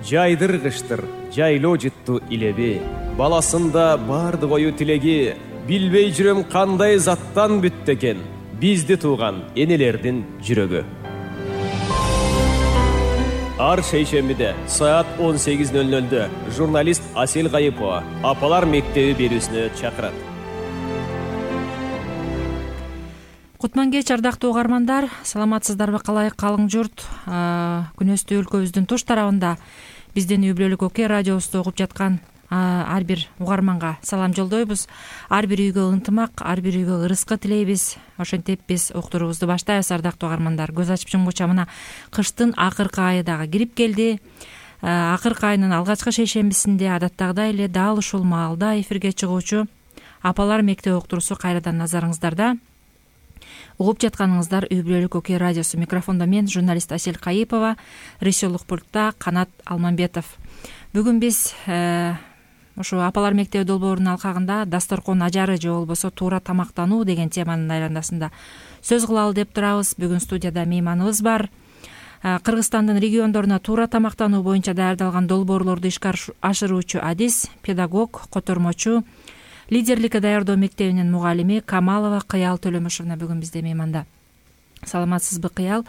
жайдыргычтыр жайлоо жытту илеби, баласында бардык ою тилеги, билбей жүрөм кандай заттан бүттү экен бизди тууган энелердин жүрөгү. Ар шейшембиде саат 18:00 журналист Асель Кайыпова Апалар мектеби берүүсүнө чакырат. Кутман кеч, ардактуу угармандар, саламатсыздарбы, калай калың журт? Күнөстүү өлкөбүздүн туш тарабында биздин үй бүлөлүк Оке радиосунда угуп жаткан ар бир угарманга салам жолдойбуз. Ар бир үйгө ынтымак, ар бир үйгө ырыскы тилейбиз. Ошентип биз уктуруубузду баштайбыз, ардактуу угармандар. Көз ачып жумгуча мына кыштын акыркы айы дагы кирип келди. Акыркы айынын алгачкы шейшембисинде адаттагыдай эле дал ушул маалда эфирге чыгуучу Апалар мектеби уктуруусу кайрадан назарыңыздарда. Угуп жатканыңыздар үй бүлөлүк Оке радиосу. Микрофондо мен, журналист Асель Кайыпова, режиссерлук пультта Канат Алмамбетов. Бүгүн биз ушу Апалар мектеби долбоорунун алкагында дасторкон ажары же болбосо туура тамактануу деген теманын айланасында сөз кылалы деп турабыз. Бүгүн студияда мейманыбыз бар. Кыргызстандын региондоруна туура тамактануу боюнча даярдалган долбоорлорду ишке ашыруучу адис, педагог, котормочу, лидерликке даярдоо мектебинин мугалими Камалова Кыял Төлөмүшовна бүгүн бизде мейманда. Саламатсызбы, Кыял?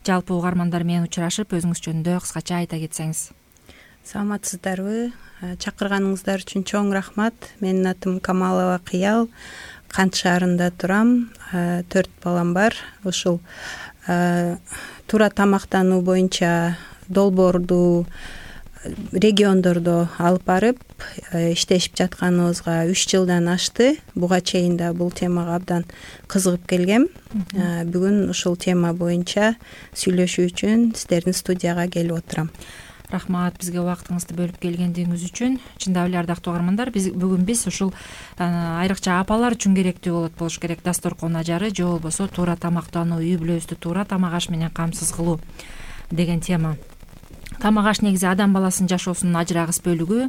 Жалпы угармандар менен учурашып, өзүңүз жөнүндө кыскача айта кетсеңиз. Саламатсыздарбы? Чакырганыңыздар үчүн чоң рахмат. Менин атым Камалова Кыял. Кант шаарында турам. 4 балам бар. Ушул туура тамактануу боюнча долбоорду региондордо алып барып иштешип жатканыбызга 3 жылдан ашты. Буга чейин да бул темага абдан кызыгып келгем. Бүгүн ушул тема боюнча сүйлөшүү үчүн сиздердин студияга келип отурам. Рахмат бизге убактыңызды бөлүп келгендигиңиз үчүн. Чындап эле ардактуу угармандар, бүгүн биз ушул айрыкча апалар үчүн керектүү болуш керек дасторкон ажары же болбосо туура тамактануу, үй бүлөбүздү туура тамак аш менен камсыз кылуу деген тема. Тамак аш негизи адам баласынын жашоосунун ажырагыс бөлүгү.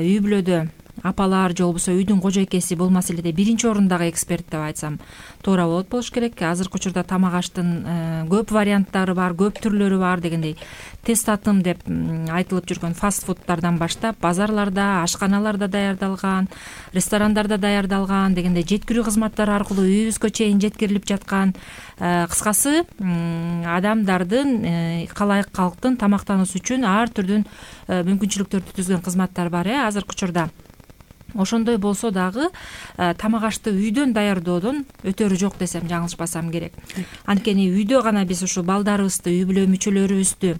Үй бүлөдө апалар же болбосо үйдүн кожойкеси бул маселеде биринчи орундагы эксперт деп айтсам туура болуш керек. Азыркы учурда тамак аштын көп варианттары бар, көп түрлөрү бар дегендей. Тест атым деп айтылып жүргөн фастфудтардан баштап базарларда, ашканаларда даярдалган, ресторандарда даярдалган дегендей жеткирүү кызматтары аркылуу үйүбүзгө чейин жеткирилип жаткан, кыскасы адамдардын, калайык калктын тамактануусу үчүн ар түрдүү мүмкүнчүлүктөрдү түзгөн кызматтар бар азыркы учурда. Ошондой болсо дагы тамак ашты үйдөн даярдоодон өтөрү жок десем жаңылышпасам керек. Анткени үйдө гана биз ушул балдарыбызды, үй бүлө мүчөлөрүбүздү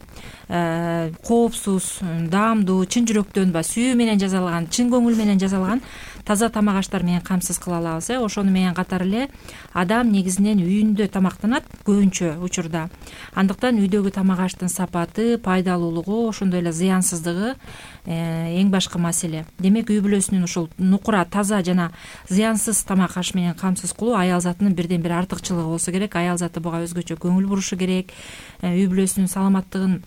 коопсуз, даамдуу, чын жүрөктөн сүйүү менен жасалган, чын көңүл менен жасалган таза тамак аштар менен камсыз кыла алабыз. Ошону менен катар эле адам негизинен үйүндө тамактанат көбүнчө учурда. Андыктан үйдөгү тамак аштын сапаты, пайдалуулугу, ошондой эле зыянсыздыгы эң башкы маселе. Демек үй бүлөсүнүн ушул нукура, таза жана зыянсыз тамак аш менен камсыз кылуу аял затынын бирден бир артыкчылыгы болсо керек. Аял заты буга өзгөчө көңүл бурушу керек. Үй бүлөсүнүн саламаттыгын,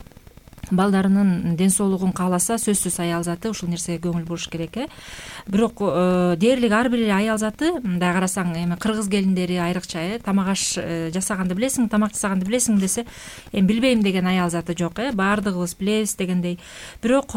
балдарынын ден соолугун кааласа, сөзсүз аял заты ушул нерсеге көңүл буруш керек. Бирок дээрлик ар бир аял заты, мындай карасаң, эми кыргыз келиндери айрыкча тамак аш жасаганды билесиң, тамак жасаганды билесиң десе, билбейм деген аял заты жок. Баардыгыбыз билебиз дегендей. Бирок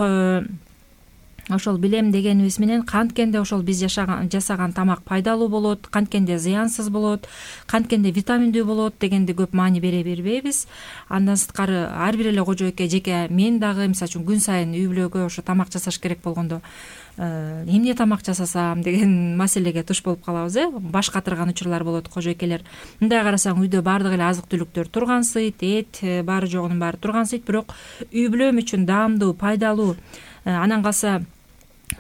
ошол билем дегенибиз менен канткенде ошол биз жасаган тамак пайдалуу болот, канткенде зыянсыз болот, канткенде витаминдүү болот дегенди көп маани бере бербейбиз. Андан сырткары ар бир эле кожойке, жеке мен дагы мисалы үчүн күн сайын үй бүлөгө ошо тамак жасаш керек болгондо эмне тамак жасасам деген маселеге туш болуп калабыз. Баш катырган учурлар болот кожойкелер. Мындай карасаң үйдө баардык эле азык түлүктөр тургансыйт, эт баары жогунун баары тургансыйт, бирок үй бүлөм үчүн даамдуу, пайдалуу, анан калса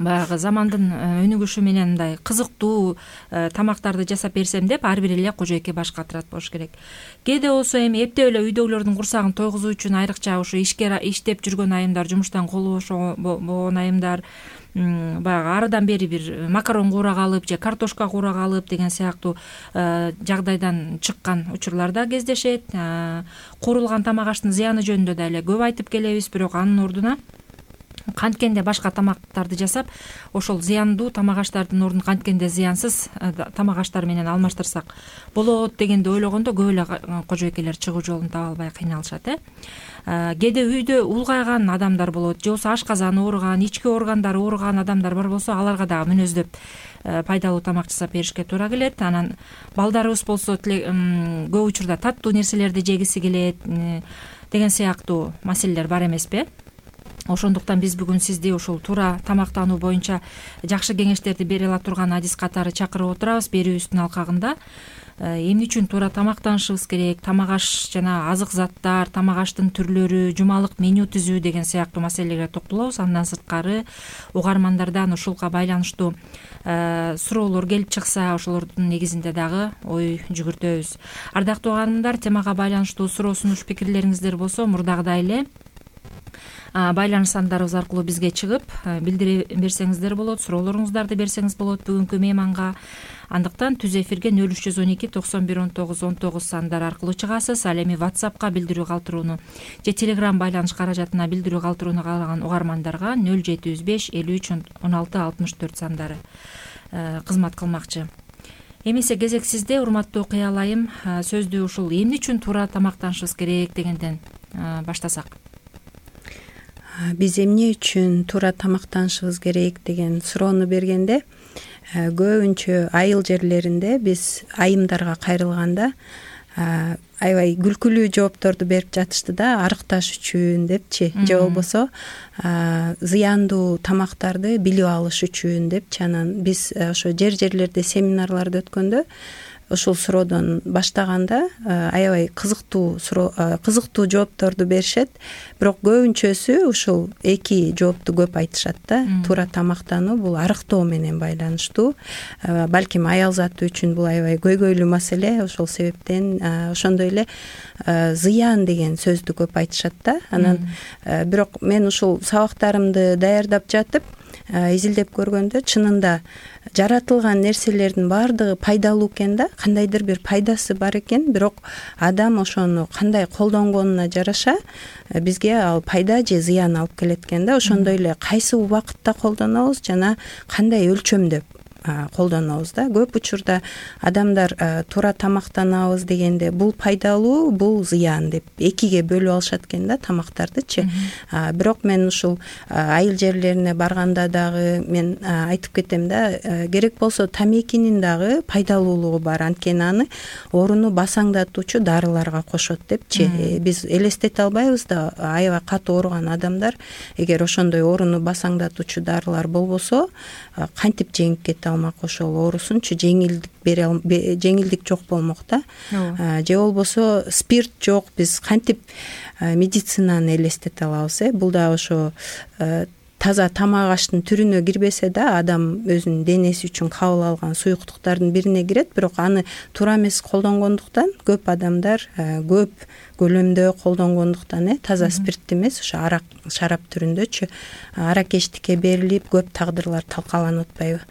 баягы замандын өнүгүшү менен мындай кызыктуу тамактарды жасап берсем деп ар бир эле кожойке баш катырат болуш керек. Кээде болсо эми эптеп эле үйдөгүлөрдүн курсагын тойгузуу үчүн айрыкча ушу иштеп жүргөн айымдар, жумуштан колу бош болгон айымдар баягы арыдан бери бир макарон куурак алып же картошка куурак алып деген сыяктуу жагдайдан чыккан учурлар да кездешет. Куурулган тамак аштын зыяны жөнүндө да эле көп айтып келебиз, бирок анын ордуна канткенде башка тамактарды жасап, ошол зыяндуу тамак аштардын ордун канткенде зыянсыз тамак аштар менен алмаштырсак болот дегенди ойлогондо көп эле кожойкелер чыгуу жолун таба албай кыйналышат. Кээде үйдө улгайган адамдар болот, же болбосо ашказаны ооруган, ички органдары ооруган адамдар бар болсо, аларга дагы мүнөздөп пайдалуу тамак жасап беришке туура келет. Анан балдарыбыз болсо көп учурда таттуу нерселерди жегиси келет деген сыяктуу маселелер бар эмеспи? Ошондуктан биз бүгүн сизди ушул туура тамактануу боюнча жакшы кеңештерди бере ала турган адис катары чакырып отурабыз. Берүүбүздүн алкагында эмне үчүн туура тамактанышыбыз керек, тамак аш жана азык заттар, тамак аштын түрлөрү, жумалык меню түзүү деген сыяктуу маселелерге токтолобуз. Андан сырткары угармандардан ушулга байланыштуу суроолор келип чыкса, ошолордун негизинде дагы ой жүгүртөбүз. Ардактуу угармандар, темага байланыштуу суроо сунуш пикирлериңиздер болсо, мурдагыдай эле байланыш сандарыбыз аркылуу бизге чыгып билдире берсеңиздер болот, суроолоруңуздарды берсеңиз болот бүгүнкү мейманга. Андыктан түз эфирге 0312 91 19 19 сандар аркылуу чыгасыз. Ал эми WhatsAppка билдирүү калтырууну же Telegram байланыш каражатына билдирүү калтырууну каалаган угармандарга 0705 53 16 64 сандары кызмат кылмакчы. Эмесе кезек сизде, урматтуу Кыял айым. Сөздү ушул эмне үчүн туура тамактанышыбыз керек дегенден баштасак. Биз эмне үчүн туура тамактанышыбыз керек деген суроону бергенде, көбүнчө айыл жерлеринде биз айымдарга кайрылганда аябай күлкүлүү жоопторду берип жатышты да, арыкташ үчүн депчи, же болбосо зыяндуу тамактарды билип алыш үчүн депчи. Анан биз ошо жерлерде семинарларды өткөндө ушул суроодон баштаганда аябай кызыктуу жоопторду беришет. Бирок көбүнчөсү ушул эки жоопту көп айтышат да. Туура тамактануу бул арыктоо менен байланыштуу. Балким аял заты үчүн бул аябай көйгөйлүү маселе. Ошол себептен ошондой эле зыян деген сөздү көп айтышат да. Анан бирок мен ушул сабактарымды даярдап жатып изилдеп көргөндө, чынында жаратылган нерселердин баардыгы пайдалуу экен да, кандайдыр бир пайдасы бар экен. Бирок адам ошону кандай колдонгонуна жараша бизге ал пайда же зыян алып келет экен да. Ошондой эле кайсы убакытта колдонобуз жана кандай өлчөмдө колдонобуз да. Көп учурда адамдар туура тамактанабыз дегенде бул пайдалуу, бул зыян деп экиге бөлүп алышат экен да тамактардычы. Бирок мен ушул айыл жерлерине барганда дагы мен айтып кетем да, керек болсо тамекинин дагы пайдалуулугу бар. Анткени аны ооруну басаңдатуучу дарыларга кошот депчи. Биз элестете албайбыз да, аябай катуу ооруган адамдар эгер ошондой ооруну басаңдатуучу дарылар болбосо кантип жеңип кете алмак ошол оорусунчу, жеңилдик жок болмок да. Же болбосо спирт жок, биз кантип медицинаны элестете алабыз. Бул да ошо таза тамак аштын түрүнө кирбесе да, адам өзүнүн денеси үчүн кабыл алган суюктуктардын бирине кирет. Бирок аны туура эмес колдонгондуктан көп адамдар көп көлөмдө колдонгондуктан таза спирт эмес, ошо арак, шарап түрүндөчү аракечтикке берилип көп тагдырлар талкаланып атпайбы.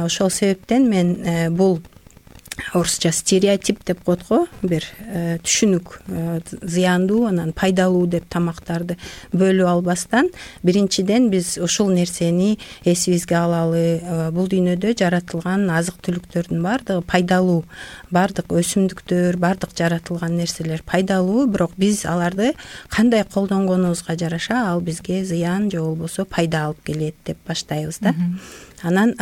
Ошол себептен мен бул орусча стереотип деп коет го, бир түшүнүк зыяндуу анан пайдалуу деп тамактарды бөлүп албастан, биринчиден биз ушул нерсени эсибизге алалы. Бул дүйнөдө жаратылган азык түлүктөрдүн баардыгы пайдалуу, баардык өсүмдүктөр, баардык жаратылган нерселер пайдалуу, бирок биз аларды кандай колдонгонубузга жараша ал бизге зыян же болбосо пайда алып келет деп баштайбыз да. Анан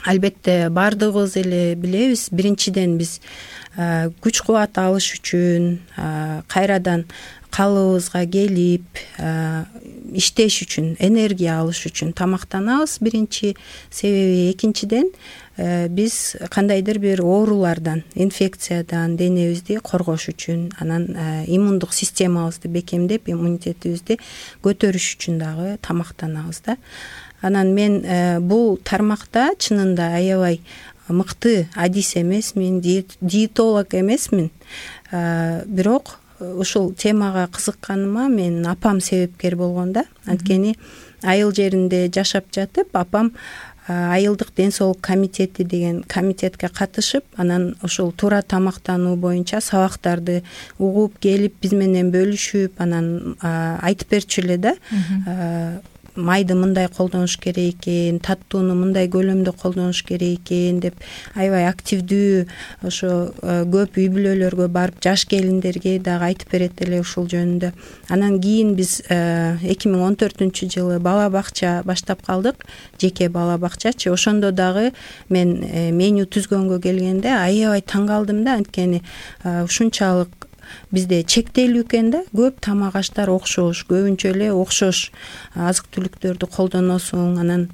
албетте баардыгыбыз эле билебиз, биринчиден биз күч кубат алыш үчүн, кайрадан калыбыбызга келип иштеш үчүн, энергия алыш үчүн тамактанабыз биринчи себеби. Экинчиден биз кандайдыр бир оорулардан, инфекциядан денебизди коргош үчүн, анан иммундук системабызды бекемдеп, иммунитетибизди көтөрүш үчүн дагы тамактанабыз да. Анан мен бул тармакта чынында аябай мыкты адис эмесмин, диетолог эмесмин. Бирок ушул темага кызыкканыма мен апам себепкер болгон да. Анткени айыл жеринде жашап жатып, апам айылдык ден соолук комитети деген комитетке катышып, анан ошол туура тамактануу боюнча сабактарды угуп келип биз менен бөлүшүп, анан айтып берчү эле да, майды мындай колдонуш керек экен, таттууну мындай көлөмдө колдонуш керек экен деп аябай активдүү ошо көп үй бүлөлөргө барып жаш келиндерге дагы айтып берет эле ушул жөнүндө. Анан кийин биз 2014-жылы бала бакча баштап калдык, жеке бала бакчачы. Ошондо дагы мен меню түзгөнгө келгенде аябай таң калдым да, анткени ушунчалык бизде чектелүү экен да, көп тамак аштар окшош, көбүнчө эле окшош азык түлүктөрдү колдоносуң. Анан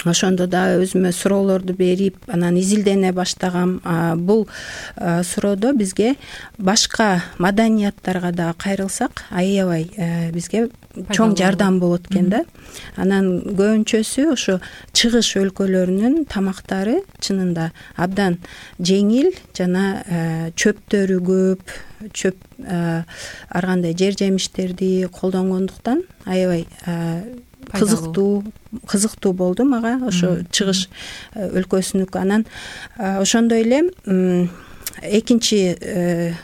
ошондо да өзүмө суроолорду берип, анан изилдене баштагам. Бул суроодо бизге башка маданияттарга дагы кайрылсак аябай бизге чоң жардам болот экен да. Анан көбүнчөсү ошо чыгыш өлкөлөрүнүн тамактары чынында абдан жеңил жана чөптөрү көп, чөп ар кандай жер жемиштерди колдонгондуктан аябай кызыктуу болду мага ошо чыгыш өлкөсүнүкү. Анан ошондой эле экинчи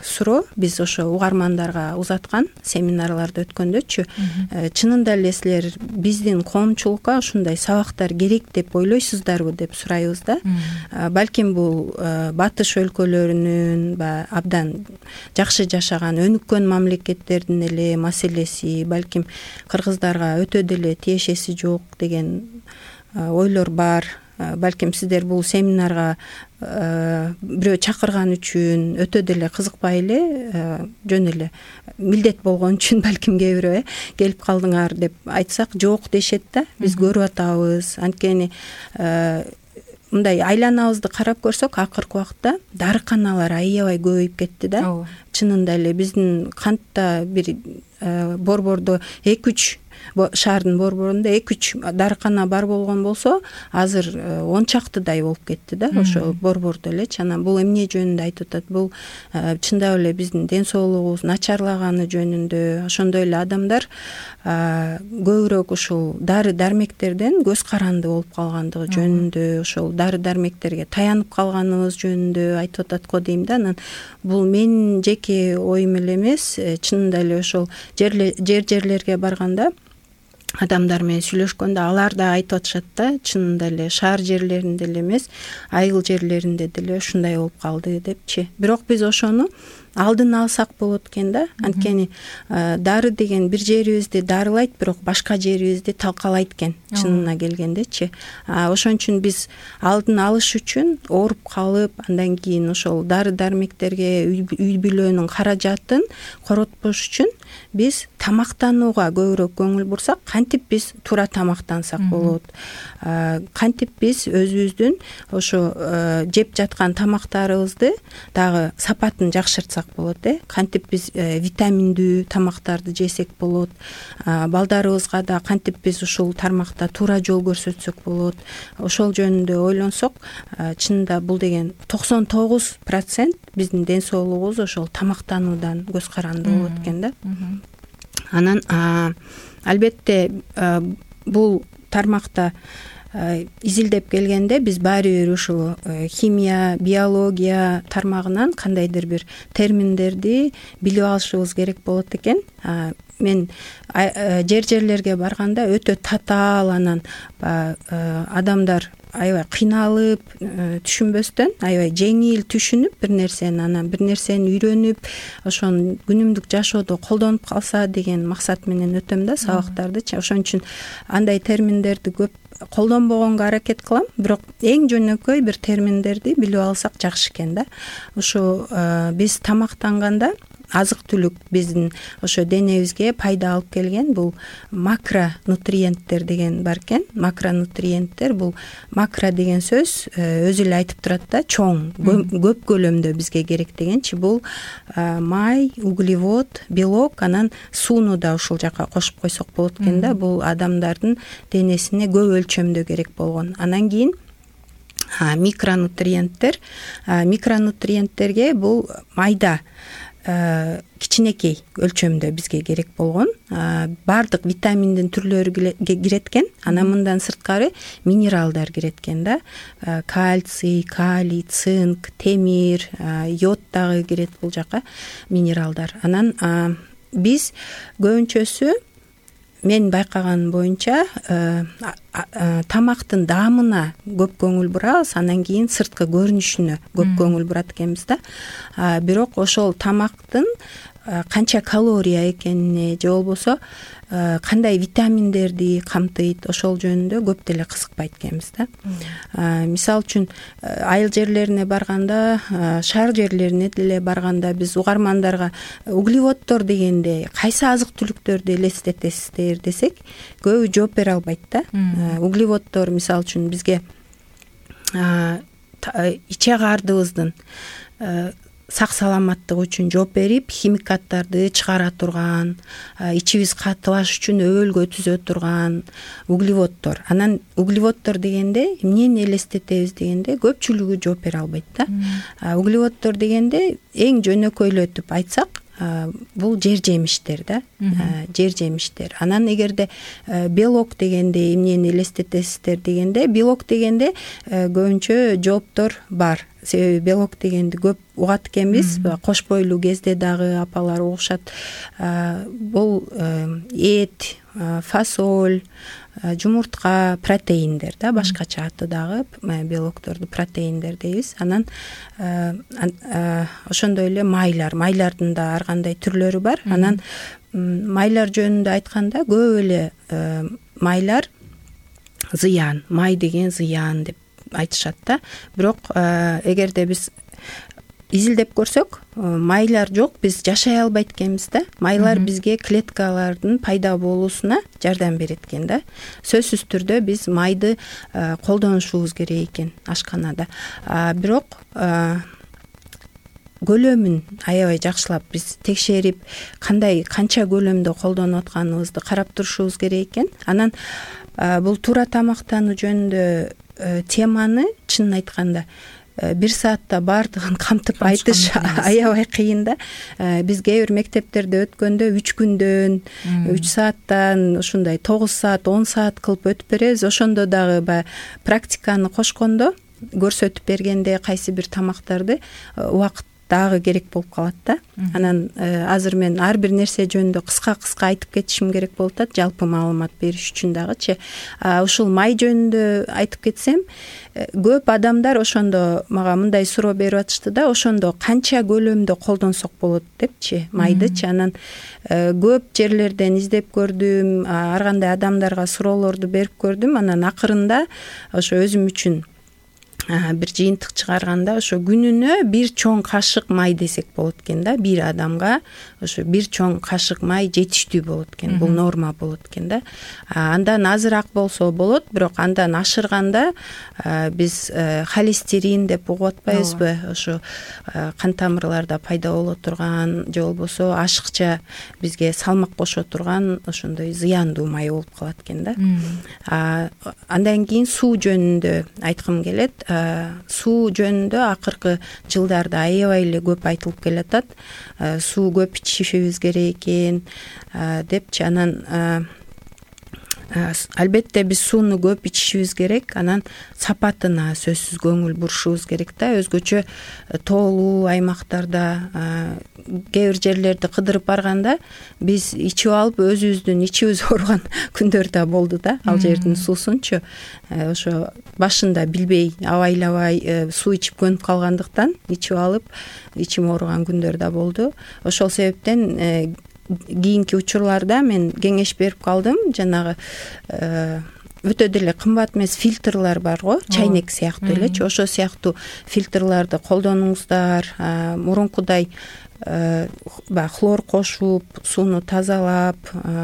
суроо биз ошо угармандарга узаткан семинарларды өткөндөчү, чынында эле силер биздин коомчулукка ушундай сабактар керек деп ойлойсуздарбы деп сурайбыз да. Балким бул батыш өлкөлөрүнүн абдан жакшы жашаган өнүккөн мамлекеттердин эле маселеси, балким кыргыздарга өтө деле тиешеси жок деген ойлор бар. Балким сиздер бул семинарга бирөө чакырган үчүн өтө деле кызыкпай эле, жөн эле милдет болгон үчүн балким кээ бирөө келип калдыңар деп айтсак жок дешет да. Биз көрүп атабыз, анткени мындай айланабызды карап көрсөк акыркы убакытта дарыканалар аябай көбөйүп кетти да. Чынында эле биздин кантта бир борбордо 2-3 шаардын борборунда 2-3 дарыкана бар болгон болсо, азыр 10 чактыдай болуп кетти да, ошо борбордо элечи. Анан бул эмне жөнүндө айтып атат? Бул чындап эле биздин ден соолугубуз начарлаганы жөнүндө, ошондой эле адамдар көбүрөөк ушул дары дармектерден көз каранды болуп калгандыгы жөнүндө, ошол дары дармектерге таянып калганыбыз жөнүндө айтып атат го дейм да. Анан бул менин жеке оюм эле эмес, чынында эле ошол жерлерге барганда адамдар менен сүйлөшкөндө алар да айтып атышат да, чынында эле шаар жерлеринде эле эмес, айыл жерлеринде деле ушундай болуп калды депчи. Бирок биз ошону алдын алсак болот экен да, анткени дары деген бир жерибизди дарылайт, бирок башка жерибизди талкалайт экен чынына келгендечи. Ошон үчүн биз алдын алыш үчүн ооруп калып, андан кийин ошол дары дармектерге үй бүлөнүн каражатын коротпош үчүн биз тамактанууга көбүрөөк көңүл бурсак, кантип биз туура тамактансак болот, кантип биз өзүбүздүн ошо жеп жаткан тамактарыбызды дагы сапатын жакшыртсак болот, кантип биз витаминдүү тамактарды жесек болот, балдарыбызга да кантип биз ушул тармакта туура жол көрсөтсөк болот. Ошол жөнүндө ойлонсок, чынында бул деген 99% биздин ден соолугубуз ошол тамактануудан көз каранды болот экен да. Анан албетте бул тармакта изилдеп келгенде биз баары бир ушул химия, биология тармагынан кандайдыр бир терминдерди билип алышыбыз керек болот экен. Мен жерлерге барганда өтө татаал, анан адамдар аябай кыйналып түшүнбөстөн аябай жеңил түшүнүп бир нерсени, анан бир нерсени үйрөнүп, ошону күнүмдүк жашоодо колдонуп калса деген максат менен өтөм да сабактардычы. Ошон үчүн андай терминдерди көп колдонбогонго аракет кылам, бирок эң жөнөкөй бир терминдерди билип алсак жакшы экен да. Ошо биз тамактанганда азык түлүк биздин ошо денебизге пайда алып келген бул макронутриенттер деген бар экен. Макронутриенттер бул макро деген сөз өзү эле айтып турат да, чоң, көп көлөмдө бизге керек дегенчи. Бул май, углевод, белок, анан сууну да ушул жака кошуп койсок болот экен да. Бул адамдардын денесине көп өлчөмдө керек болгон. Анан кийин микронутриенттер. Микронутриенттерге бул майда кичинекей өлчөмдө бизге керек болгон баардык витаминдин түрлөрү кирет экен. Анан мындан сырткары минералдар кирет экен да. Кальций, калий, цинк, темир, йод дагы кирет бул жака минералдар. Анан биз көбүнчөсү мен байкаган боюнча тамактын даамына көп көңүл бурабыз, анан кийин сырткы көрүнүшүнө көп көңүл бурат экенбиз да. Бирок ошол тамактын канча калория экенине же болбосо кандай витаминдерди камтыйт, ошол жөнүндө көп деле кызыкпайт экенбиз да. Мисалы үчүн айыл жерлерине барганда, шаар жерлерине деле барганда биз угармандарга углеводдор дегенде кайсы азык түлүктөрдү элестетесиздер десек, көбү жооп бере албайт да. Углеводдор мисалы үчүн бизге ичек ардыбыздын сак саламаттыгы үчүн жооп берип, химикаттарды чыгара турган, ичибиз катыбаш үчүн өбөлгө түзө турган углеводдор. Анан углеводдор дегенде эмнени элестетебиз дегенде көпчүлүгү жооп бере албайт да. Углеводдор дегенде эң жөнөкөйлөтүп айтсак, бул жер жемиштер да. Жер жемиштер. Анан эгерде белок дегенде эмнени элестетесиздер дегенде, белок дегенде көбүнчө жооптор бар. Себеби белок дегенди көп угат экенбиз. Кош бойлуу кезде дагы апалар угушат. Бул эт, фасоль, жумуртка, протеиндер да, башкача аты дагы белокторду протеиндер дейбиз. Анан ошондой эле майлардын да ар кандай түрлөрү бар. Анан майлар жөнүндө айтканда көп эле майлар зыян, май деген зыян деп айтышат да. Бирок эгерде биз изилдеп көрсөк, майлар жок, биз жашай албайт экенбиз да. Майлар бизге клеткалардын пайда болуусуна жардам берет экен да. Сөзсүз түрдө биз майды колдонушубуз керек экен ашканада. Бирок көлөмүн аябай жакшылап биз текшерип, канча көлөмдө колдонуп атканыбызды карап турушубуз керек экен. Анан бул туура тамактануу жөнүндө теманы чынын айтканда бир саатта баардыгын камтып айтыш аябай кыйын да. Биз кээ бир мектептерде өткөндө 3 күндөн, 3 сааттан ушундай 9 саат, 10 саат кылып өтүп беребиз. Ошондо дагы баягы практиканы кошкондо, көрсөтүп бергенде кайсы бир тамактарды убакыт дагы керек болуп калат да. Анан азыр мен ар бир нерсе жөнүндө кыска айтып кетишим керек болуп атат, жалпы маалымат бериш үчүн дагычы. Ушул май жөнүндө айтып кетсем, көп адамдар ошондо мага мындай суроо берип атышты да, ошондо канча көлөмдө колдонсок болот депчи, майдычы. Анан көп жерлерден издеп көрдүм, ар кандай адамдарга суроолорду берип көрдүм. Анан акырында ошо өзүм үчүн бир жыйынтык чыгарганда, ошо күнүнө 1 чоң кашык май десек болот экен да. Бир адамга ошо 1 чоң кашык май жетиштүү болот экен. Бул норма болот экен да. Андан азыраак болсо болот, бирок андан ашырганда биз холестерин деп угуп атпайбызбы? Ошо кан тамырларда пайда боло турган же болбосо ашыкча бизге салмак кошо турган ошондой зыяндуу май болуп калат экен да. Андан кийин суу жөнүндө айткым келет. Суу жөнүндө акыркы жылдарда аябай эле көп айтылып келатат. Суу көп ичишибиз керек экен депчи. Анан албетте биз сууну көп ичишибиз керек. Анан сапатына сөзсүз көңүл бурушубуз керек да. Өзгөчө тоолуу аймактарда, кээ бир жерлерди кыдырып барганда биз ичип алып өзүбүздүн ичибиз ооруган күндөр да болду да. Ал жердин суусунчу ошо башында билбей, абайлабай суу ичип көнүп калгандыктан ичип алып ичим ооруган күндөр да болду. Ошол себептен кийинки учурларда мен кеңеш берип калдым. Жанагы өтө деле кымбат эмес фильтрлар бар го, чайнек сыяктуу элечи. Ошо сыяктуу фильтрларды колдонуңуздар. Мурункудай хлор кошуп, сууну тазалап,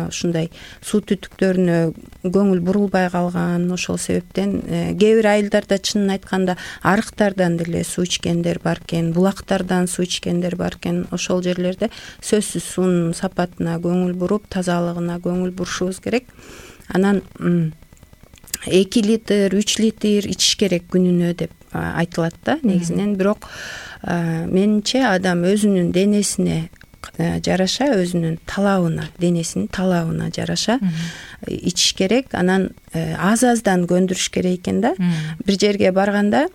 ушундай суу түтүктөрүнө көңүл бурулбай калган. Ошол себептен кээ бир айылдарда чынын айтканда арыктардан деле суу ичкендер бар экен, булактардан суу ичкендер бар экен. Ошол жерлерде сөзсүз суунун сапатына көңүл буруп, тазалыгына көңүл бурушубуз керек. Анан 2 литр, 3 литр ичиш керек күнүнө деп айтылат да негизинен. Бирок менимче адам өзүнүн денесине жараша, өзүнүн талабына, денесинин талабына жараша ичиш керек. Анан аз-аздан көндүрүш керек экен да. Бир жерге барганда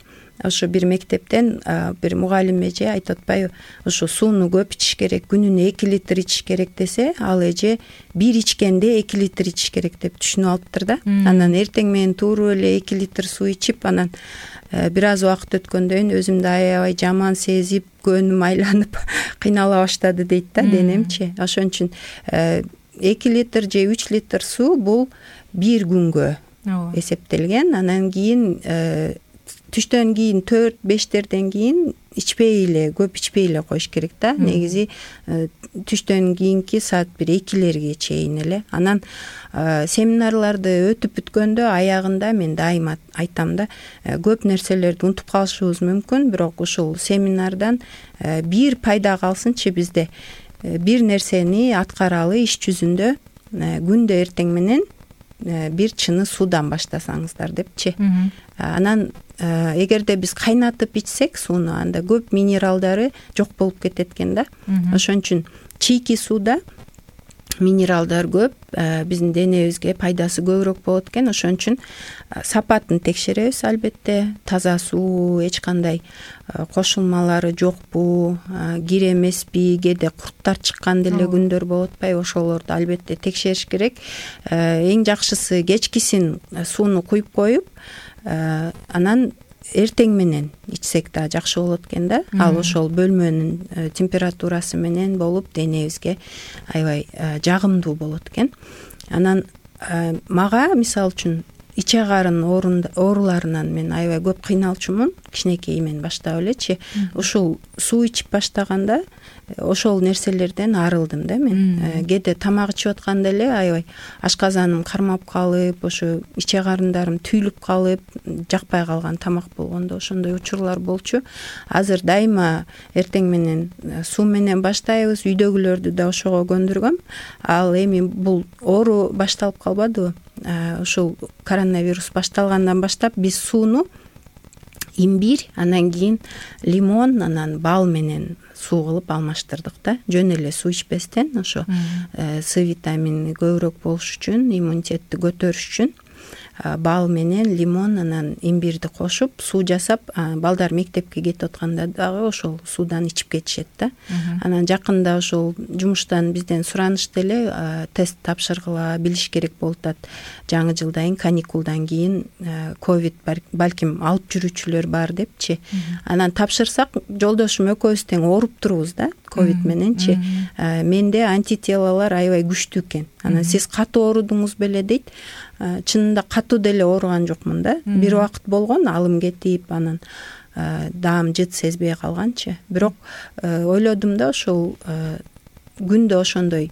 ошо бир мектептен бир мугалим эже айтып атпайбы, ошо сууну көп ичиш керек, күнүнө 2 литр ичиш керек десе, ал эже бир ичкенде 2 литр ичиш керек деп түшүнүп алыптыр да. Анан эртең менен тууру эле 2 литр суу ичип, анан бир аз убакыт өткөндөн кийин өзүмдү аябай жаман сезип, көнүм айланып кыйнала баштады дейт да денемчи. Ошон үчүн 2 литр же 3 литр суу бул бир күнгө эсептелген. Анан кийин түштөн кийин 4-5терден кийин ичпей эле, көп ичпей эле коюш керек да. Негизи түштөн кийинки саат 1-2лерге чейин эле. Анан семинарларды өтүп бүткөндө аягында мен дайыма айтам да, көп нерселерди унутуп калышыбыз мүмкүн, бирок ушул семинардан бир пайда калсынчы бизде. Бир нерсени аткаралы иш жүзүндө күндө эртең менен бир чыны суудан баштасаңыздар депчи. Анан эгерде биз кайнатып ичсек сууну, анда көп минералдары жок болуп кетет экен да. Ошон үчүн чийки сууда минералдар көп, биздин денебизге пайдасы көбүрөөк болот экен. Ошон үчүн сапатын текшеребиз албетте. Таза суу, эч кандай кошулмалары жокпу, кир эмеспи, кээде курттар чыккан деле күндөр болуп атпайбы, ошолорду албетте текшериш керек. Эң жакшысы кечкисин сууну куюп коюп, анан эртең менен ичсек да жакшы болот экен да. Ал ошол бөлмөнүн температурасы менен болуп денебизге аябай жагымдуу болот экен. Анан мага мисалы үчүн иче карын ооруларынан мен аябай көп кыйналчумун, кичинекейимен баштап элечи. Ушул суу ичип баштаганда ошол нерселерден арылдым да мен. Кээде тамак ичип атканда эле аябай ашказаным кармап калып, ошо иче карындарым түйүлүп калып, жакпай калган тамак болгондо ошондой учурлар болчу. Азыр дайыма эртең менен суу менен баштайбыз, үйдөгүлөрдү да ошого көндүргөм. Ал эми бул оору башталып калбадыбы? Ушул коронавирус башталгандан баштап биз сууну имбирь, анан кийин лимон, анан бал менен суу кылып алмаштырдык да. Жөн эле суу ичпестен ошо С витамини көбүрөөк болуш үчүн, иммунитетти көтөрүш үчүн бал менен лимон, анан имбирди кошуп суу жасап, балдар мектепке кетип атканда дагы ошол суудан ичип кетишет да. Анан жакында ошол жумуштан бизден суранышты эле, тест тапшыргыла, билиш керек болуп атат. Жаңы жылдан, каникулдан кийин ковид балким алып жүрүүчүлөр бар депчи. Анан тапшырсак, жолдошум экөөбүз тең ооруп турбуз да, ковид мененчи. Менде антителалар аябай күчтүү экен. Анан сиз катуу оорудуңуз беле дейт. Чынында катуу деле ооруган жокмун да. Бир убакыт болгон, алым кетип, анан даам жыт сезбей калганчы. Бирок ойлодум да, ошол күндө ошондой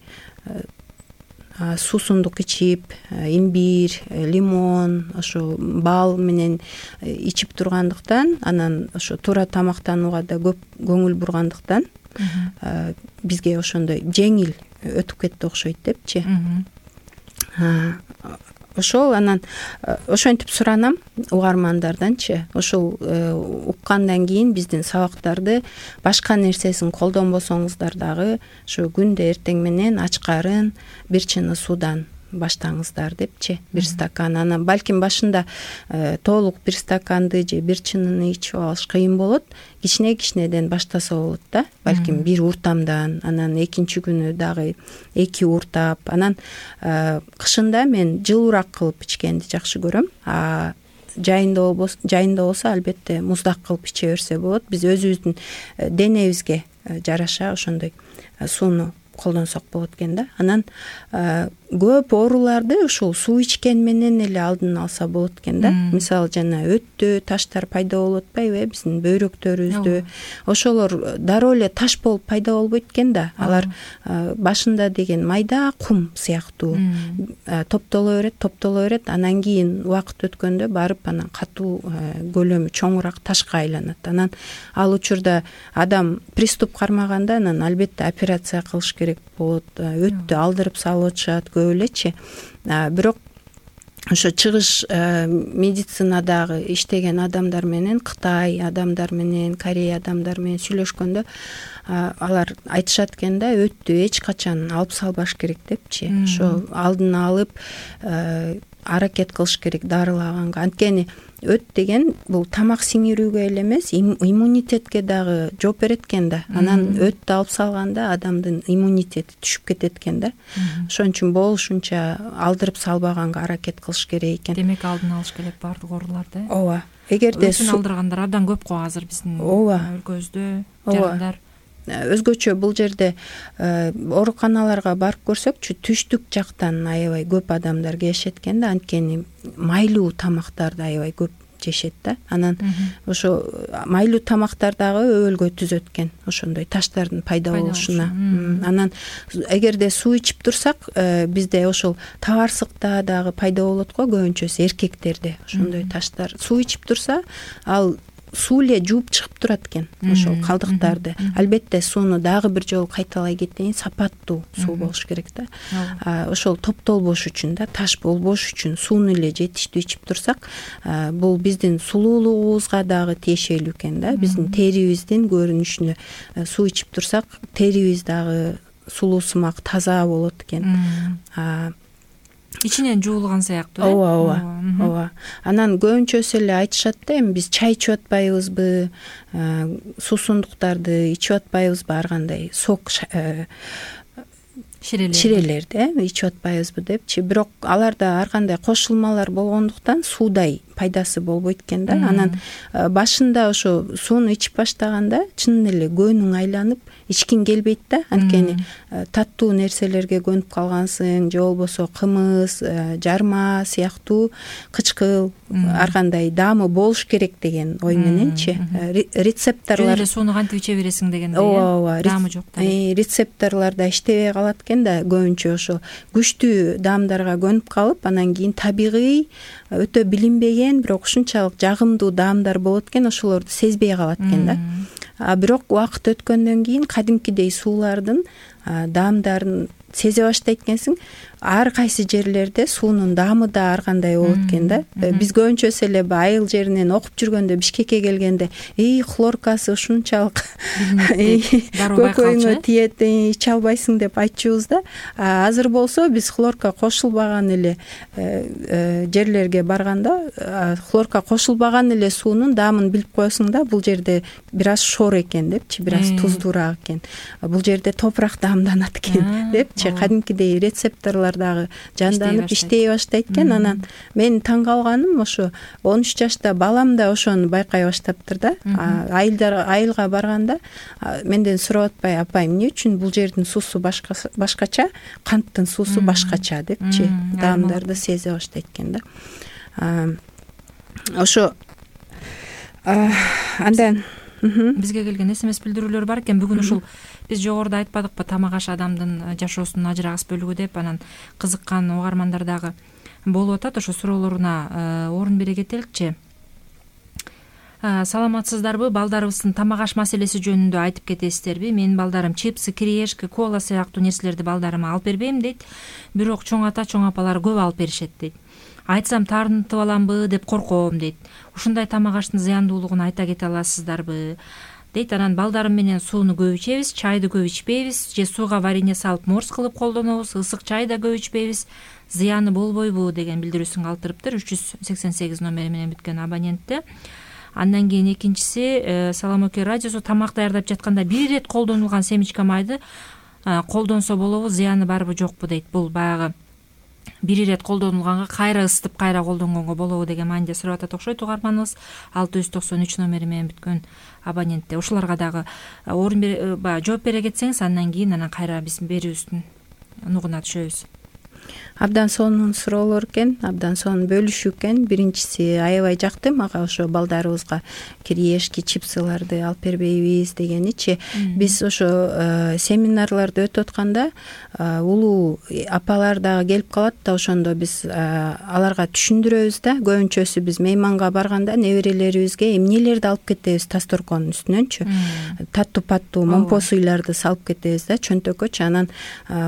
суусундук ичип, имбирь, лимон, ошо бал менен ичип тургандыктан, анан ошо туура тамактанууга да көп көңүл бургандыктан бизге ошондой жеңил өтүп кетти окшойт депчи. Ошол анан ошентип суранам угармандарданчы. Ошол уккандан кийин биздин сабактарды башка нерсесин колдонбосоңуздар дагы ошо күндө эртең менен ач карын бир чыны суудан баштаңыздар депчи. Бир стакан, анан балким башында толук бир стаканды же бир чыныны ичип алыш кыйын болот. Кичинеден баштаса болот да. Балким бир уртамдан, анан экинчи күнү дагы 2 уртап, анан кышында мен жылуураак кылып ичкенди жакшы көрөм. Жайында болсо албетте муздак кылып иче берсе болот. Биз өзүбүздүн денебизге жараша ошондой сууну колдонсок болот экен да. Анан көп ооруларды ушул суу ичкен менен эле алдын алса болот экен да. Мисалы жана өттө таштар пайда болуп атпайбы, биздин бөйрөктөрүбүздө. Ошолор дароо эле таш болуп пайда болбойт экен да. Алар башында деген майда кум сыяктуу топтоло берет, анан кийин убакыт өткөндө барып анан катуу көлөмү чоңураак ташка айланат. Анан ал учурда адам приступ кармаганда анан албетте операция кылыш керек болот. Өттү алдырып салып атышат көп элечи. Бирок ошо чыгыш медицинадагы иштеген адамдар менен, Кытай адамдар менен, Корея адамдар менен сүйлөшкөндө алар айтышат экен да, өттү эч качан алып салбаш керек депчи. Ошо алдын алып аракет кылыш керек дарылаганга. Анткени өт деген бул тамак сиңирүүгө эле эмес, иммунитетке дагы жооп берет экен да. Анан өттү алып салганда адамдын иммунитети түшүп кетет экен да. Ошон үчүн болушунча алдырып салбаганга аракет кылыш керек экен. Демек алдын алыш керек баардык ооруларды. Ооба. Эгерде өтүн алдыргандар абдан көп го азыр биздин өлкөбүздө, жарандар. Өзгөчө бул жерде ооруканаларга барып көрсөкчү, түштүк жактан аябай көп адамдар келишет экен да, анткени майлуу тамактарды аябай көп жешет да. Анан ошо майлуу тамактар дагы өбөлгө түзөт экен, ошондой таштардын пайда болушуна. Анан эгерде суу ичип турсак, бизде ошол табарсыкта дагы пайда болот го, көбүнчөсү эркектерде ошондой таштар. Суу ичип турса, ал суу эле жууп чыгып турат экен ошол калдыктарды. Албетте сууну дагы бир жолу кайталай кетейин, сапаттуу суу болуш керек да. Ошол топтолбош үчүн да, таш болбош үчүн сууну эле жетиштүү ичип турсак, бул биздин сулуулугубузга дагы тиешелүү экен да. Биздин терибиздин көрүнүшүнө суу ичип турсак, терибиз дагы сулуусумак таза болот экен. Ичинен жуулган сыяктуу. Ооба. Анан көбүнчөсү эле айтышат да, эми биз чай ичип атпайбызбы, суусундуктарды ичип атпайбызбы, ар кандай сок ширелерди ичип атпайбызбы депчи. Бирок аларда ар кандай кошулмалар болгондуктан суудай пайдасы болбойт экен да. Анан башында ошо сууну ичип баштаганда чын эле көңүң айланып ичкиң келбейт да, анткени таттуу нерселерге көнүп калгансың, же болбосо кымыз, жарма сыяктуу кычкыл ар кандай даамы болуш керек деген ой мененчи. Рецепторлар эле сууну кантип иче бересиң дегенде, даамы жок да. Рецепторлордо иштебей калат экен да, көбүнчө ошо күчтүү даамдарга көнүп калып, анан кийин табигый өтө билинбеген, бирок ушунчалык жагымдуу даамдар болот экен, ошолорду сезбей калат экен да. Бирок убакыт өткөндөн кийин кадимкидей суулардын даамдарын сезе баштайт экенсиң. Ар кайсы жерлерде суунун даамы да ар кандай болот экен да. Биз көбүнчөсү эле айыл жеринен окуп жүргөндө, Бишкекке келгенде, хлоркасы ушунчалык көкөйүңө тиет, иче албайсың деп айтчубуз да. Азыр болсо биз хлорка кошулбаган эле жерлерге барганда, хлорка кошулбаган эле суунун даамын билип коесуң да, бул жерде бир аз шор экен депчи, бир аз туздуураак экен. Бул жерде топурак даамданат экен депчи, кадимкидей рецепторлор дагы жанданып иштей баштайт экен. Анан мен таң калганым, ошо 13 жашта балам да ошону байкай баштаптыр да. Айылга барганда менден сурап атпай, апай, эмне үчүн бул жердин суусу башкача, канттын суусу башкача депчи, даамдарды сезе баштайт экен да. Ошо андан бизге келген СМС билдирүүлөр бар экен. Бүгүн ушул биз жогоруда айтпадыкпы, тамак аш адамдын жашоосунун ажырагыс бөлүгү деп, анан кызыккан угармандар дагы болуп атат. Ошо суроолоруна орун бере кетеликчи. Саламатсыздарбы? Балдарыбыздын тамак аш маселеси жөнүндө айтып кетесиздерби? Менин балдарым чипсы, кириешки, кола сыяктуу нерселерди балдарыма алып бербейм дейт. Бирок чоң ата, чоң апалар көп алып беришет дейт. Айтсам таарынтып аламбы деп корком дейт. Ушундай тамак аштын зыяндуулугун айта кете аласыздарбы дейт. Анан балдарым менен сууну көп ичебиз, чайды көп ичпейбиз, же сууга варенье салып морс кылып колдонобуз, ысык чай да көп ичпейбиз. Зыяны болбойбу деген билдирүүсүн калтырыптыр 388 номери менен бүткөн абонентте. Андан кийин экинчиси, Салам Оке радиосу тамак даярдап жатканда бир ирет колдонулган семечка майды колдонсо болобу, зыяны барбы жокпу дейт. Бул баягы бир ирет колдонулганга кайра ысытып кайра колдонгонго болобу деген мааниде сурап атат окшойт угарманыбыз. 693 номери менен бүткөн абонентте. Ушуларга дагы орун жооп бере кетсеңиз, андан кийин кайра биз берүүбүздүн нугуна түшөбүз. Абдан сонун суроолор экен, абдан сонун бөлүшүү экен. Биринчиси, аябай жакты мага ошо балдарыбызга кириешки, чипсыларды алып бербейбиз дегеничи. Биз ошо семинарларды өтүп атканда улуу апалар дагы келип калат да, ошондо биз аларга түшүндүрөбүз да. Көбүнчөсү биз мейманга барганда неберелерибизге эмнелерди алып кетебиз тасторконун үстүнөнчү. Таттуу-паттуу момпо суйларды салып кетебиз да, чөнтөккөчү. Анан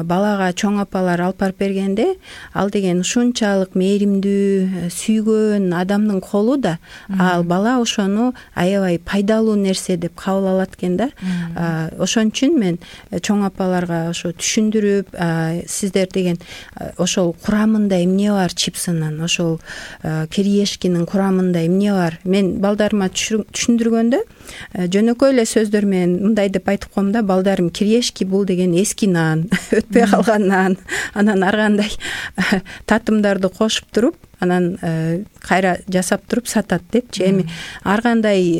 балага чоң апалар алып барып берген дегенде ал деген ушунчалык мээримдүү, сүйгөн адамдын колу да, ал бала ошону аябай пайдалуу нерсе деп кабыл алат экен да. Ошон үчүн мен чоң апаларга ошо түшүндүрүп, сиздер деген ошол курамында эмне бар чипсынын, ошол кириешкинин курамында эмне бар, мен балдарыма түшүндүргөндө жөнөкөй эле сөздөр менен мындай деп айтып коем да: балдарым, кириешки бул деген эски нан, өтпөй калган нан, анан ар кандай татымдарды кошуп туруп, анан кайра жасап туруп сатат депчи. Эми ар кандай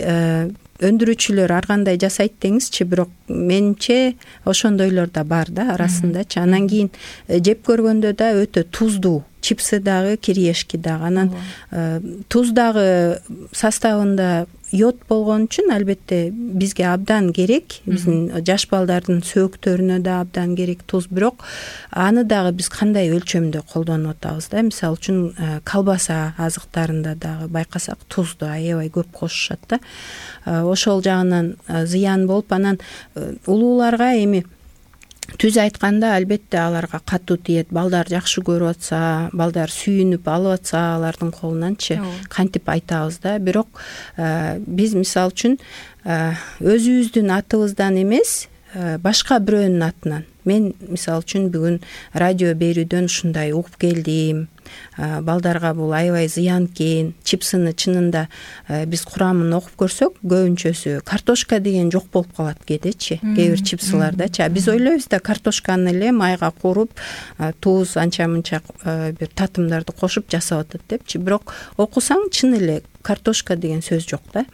өндүрүүчүлөр ар кандай жасайт деңизчи, бирок менимче ошондойлор да бар да арасындачы. Анан кийин жеп көргөндө да өтө туздуу, чипсы дагы, кириешки дагы. Анан туз дагы составында йод болгон үчүн албетте бизге абдан керек, биздин жаш балдардын сөөктөрүнө да абдан керек туз. Бирок аны дагы биз кандай өлчөмдө колдонуп атабыз да. Мисалы үчүн колбаса азыктарында дагы байкасак тузду аябай көп кошушат да. Ошол жагынан зыян болуп, анан улууларга эми түз айтканда албетте аларга катуу тиет. Балдар жакшы көрүп атса, балдар сүйүнүп алып атса алардын колунанчы кантип айтабыз да. Бирок биз мисалы үчүн өзүбүздүн атыбыздан эмес, башка бирөөнүн атынан, мен мисалы үчүн бүгүн радио берүүдөн ушундай угуп келдим, балдарга бул аябай зыян экен, чипсыны чынында биз курамын окуп көрсөк, көбүнчөсү картошка деген жок болуп калат кээдечи, кээ бир чипсылардачы. Биз ойлойбуз да картошканы эле майга кууруп, туз, анча мынча бир татымдарды кошуп жасап атат депчи. Бирок окусаң чын эле картошка деген сөз жок да.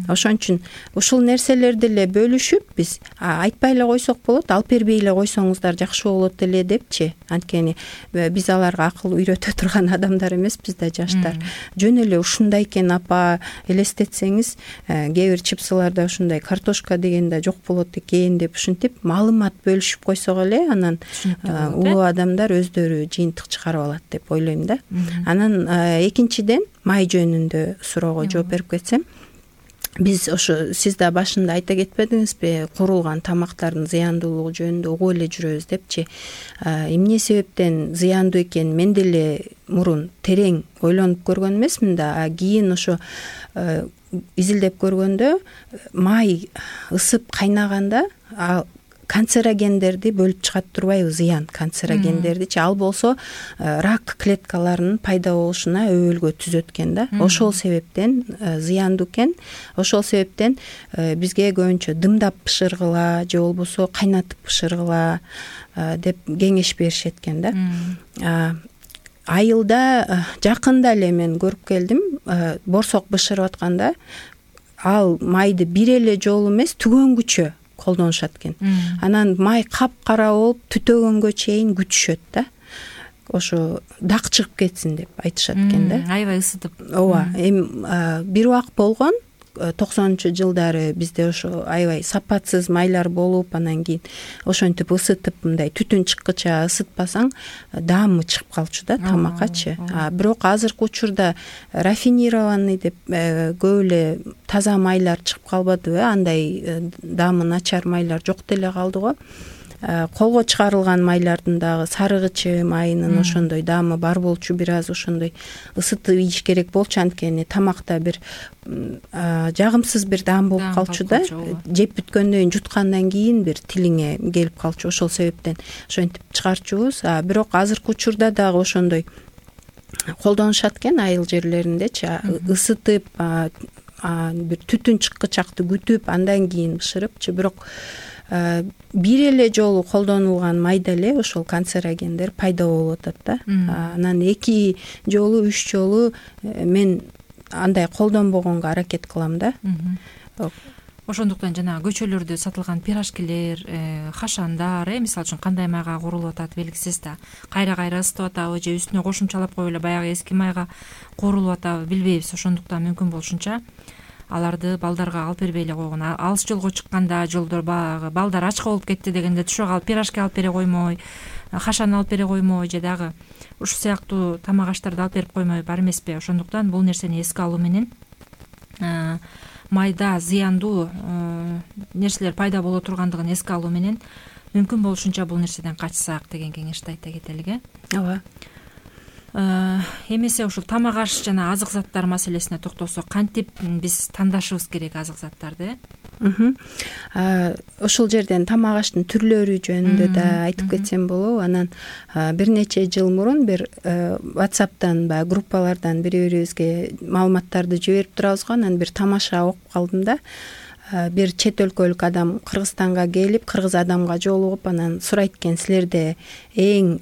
Ошон үчүн ушул нерселерди эле бөлүшүп биз айтпай эле койсок болот, алып бербей эле койсоңуздар жакшы болот эле депчи. Анткени биз аларга акыл үйрөтө турган адамдар эмеспиз да, жаштар. Жөн эле ушундай экен апа, элестетсеңиз, кээ бир чипсыларда ушундай картошка деген да жок болот экен деп ушинтип маалымат бөлүшүп койсок эле, анан улуу адамдар өздөрү жыйынтык чыгарып алат деп ойлойм да. Анан экинчиден май жөнүндө суроого жооп берип кетсем, биз ошо сиз да башында айта кетпедиңизби, куурулган тамактардын зыяндуулугу жөнүндө угуп эле жүрөбүз депчи. Эмне себептен зыяндуу экен мен деле мурун терең ойлонуп көргөн эмесмин да, кийин ошо изилдеп көргөндө май ысып кайнаганда канцерогендерди бөлүп чыгат турбайбы, зыян канцерогендердичи. Ал болсо рак клеткаларынын пайда болушуна өбөлгө түзөт экен да. Ошол себептен зыяндуу экен. Ошол себептен бизге көбүнчө дымдап бышыргыла же болбосо кайнатып бышыргыла деп кеңеш беришет экен да. Айылда жакында эле мен көрүп келдим, борсок бышырып атканда ал майды бир эле жолу эмес, түгөнгүчө колдонушат экен. Анан май капкара болуп түтөгөнгө чейин күтүшөт да. Ошо дак чыгып кетсин деп айтышат экен да. Аябай ысытып. Ооба. Эми бир убак болгон 90-жылдары бизде ошо аябай сапатсыз майлар болуп, анан кийин ошентип ысытып мындай түтүн чыккыча ысытпасаң даамы чыгып калчу да тамаккачы. Бирок азыркы учурда рафинированный деп көп эле таза майлар чыгып калбадыбы? Андай даамы начар майлар жок деле калды го. Колго чыгарылган майлардын дагы сарыгычы майынын ошондой даамы бар болчу, бир аз ошондой ысытып ийиш керек болчу, анткени тамакта бир жагымсыз бир даам болуп калчу да. Жеп бүткөндөн кийин, жуткандан кийин бир тилиңе келип калчу. Ошол себептен ошентип чыгарчубуз. Бирок азыркы учурда дагы ошондой колдонушат экен айыл жерлериндечи, ысытып бир түтүн чыккычакты күтүп андан кийин бышырыпчы. Бирок бир эле жолу колдонулган майда эле ошол канцерогендер пайда болуп атат да. Анан 2 жолу, 3 жолу мен андай колдонбогонго аракет кылам да. Ошондуктан жана көчөлөрдө сатылган пирожкилер, хашандар, мисалы үчүн кандай майга куурулуп атат белгисиз да. Кайра ысытып атабы же үстүнө кошумчалап коюп эле баягы эски майга куурулуп атабы билбейбиз. Ошондуктан мүмкүн болушунча аларды балдарга алып бербей эле койгон. Алыс жолго чыкканда жолдор баягы балдар ачка болуп кетти дегенде түшө калып пирожки алып бере коймой, хашан алып бере коймой же дагы ушул сыяктуу тамак аштарды алып берип коймой бар эмеспи? Ошондуктан бул нерсени эске алуу менен майда зыяндуу нерселер пайда боло тургандыгын эске алуу менен мүмкүн болушунча бул нерседен качсак деген кеңешти айта кетелик. ооба. Эмесе ушул тамак аш жана азык заттар маселесине токтолсок, кантип биз тандашыбыз керек азык заттарды? Ушул жерден тамак аштын түрлөрү жөнүндө да айтып кетсем болобу. Анан бир нече жыл мурун бир WhatsApp'тан баягы группалардан бири-бирибизге маалыматтарды жиберип турабыз го. Анан бир тамаша окуп калдым да. Бир чет өлкөлүк адам Кыргызстанга келип, кыргыз адамга жолугуп, анан сурайт экен, силерде эң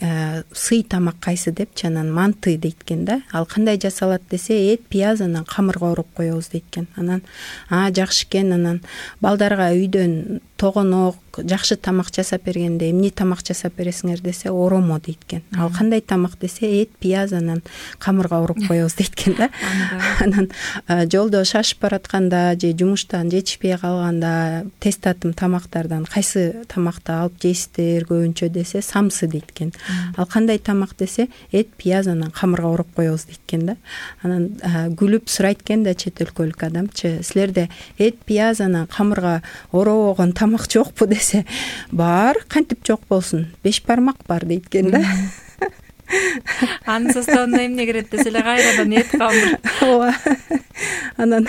сый тамак кайсы депчи. Анан манты дейт экен да. Ал кандай жасалат десе, эт, пияз, анан камырга ороп коебуз дейт экен. Анан жакшы экен. Анан балдарга үйдөн тогонок жакшы тамак жасап бергенде эмне тамак жасап бересиңер десе, оромо дейт экен. Ал кандай тамак десе, эт, пияз, анан камырга ороп коебуз дейт экен да. Анан жолдо шашып баратканда же жумуштан жетишпей калганда тез татым тамактардан кайсы тамакты алып жейсиздер көбүнчө десе, самсы дейт экен. Ал кандай тамак десе, эт, пияз, анан камырга ороп коебуз дейт экен да. Анан күлүп сурайт экен да чет өлкөлүк адамчы, силерде эт, пияз, анан камырга оробогон тамак жокпу десе, бар, кантип жок болсун, 5 бармак бар дейт экен да. Анын составына эмне кирет десе эле кайрадан эт, камыр. Ооба. Анан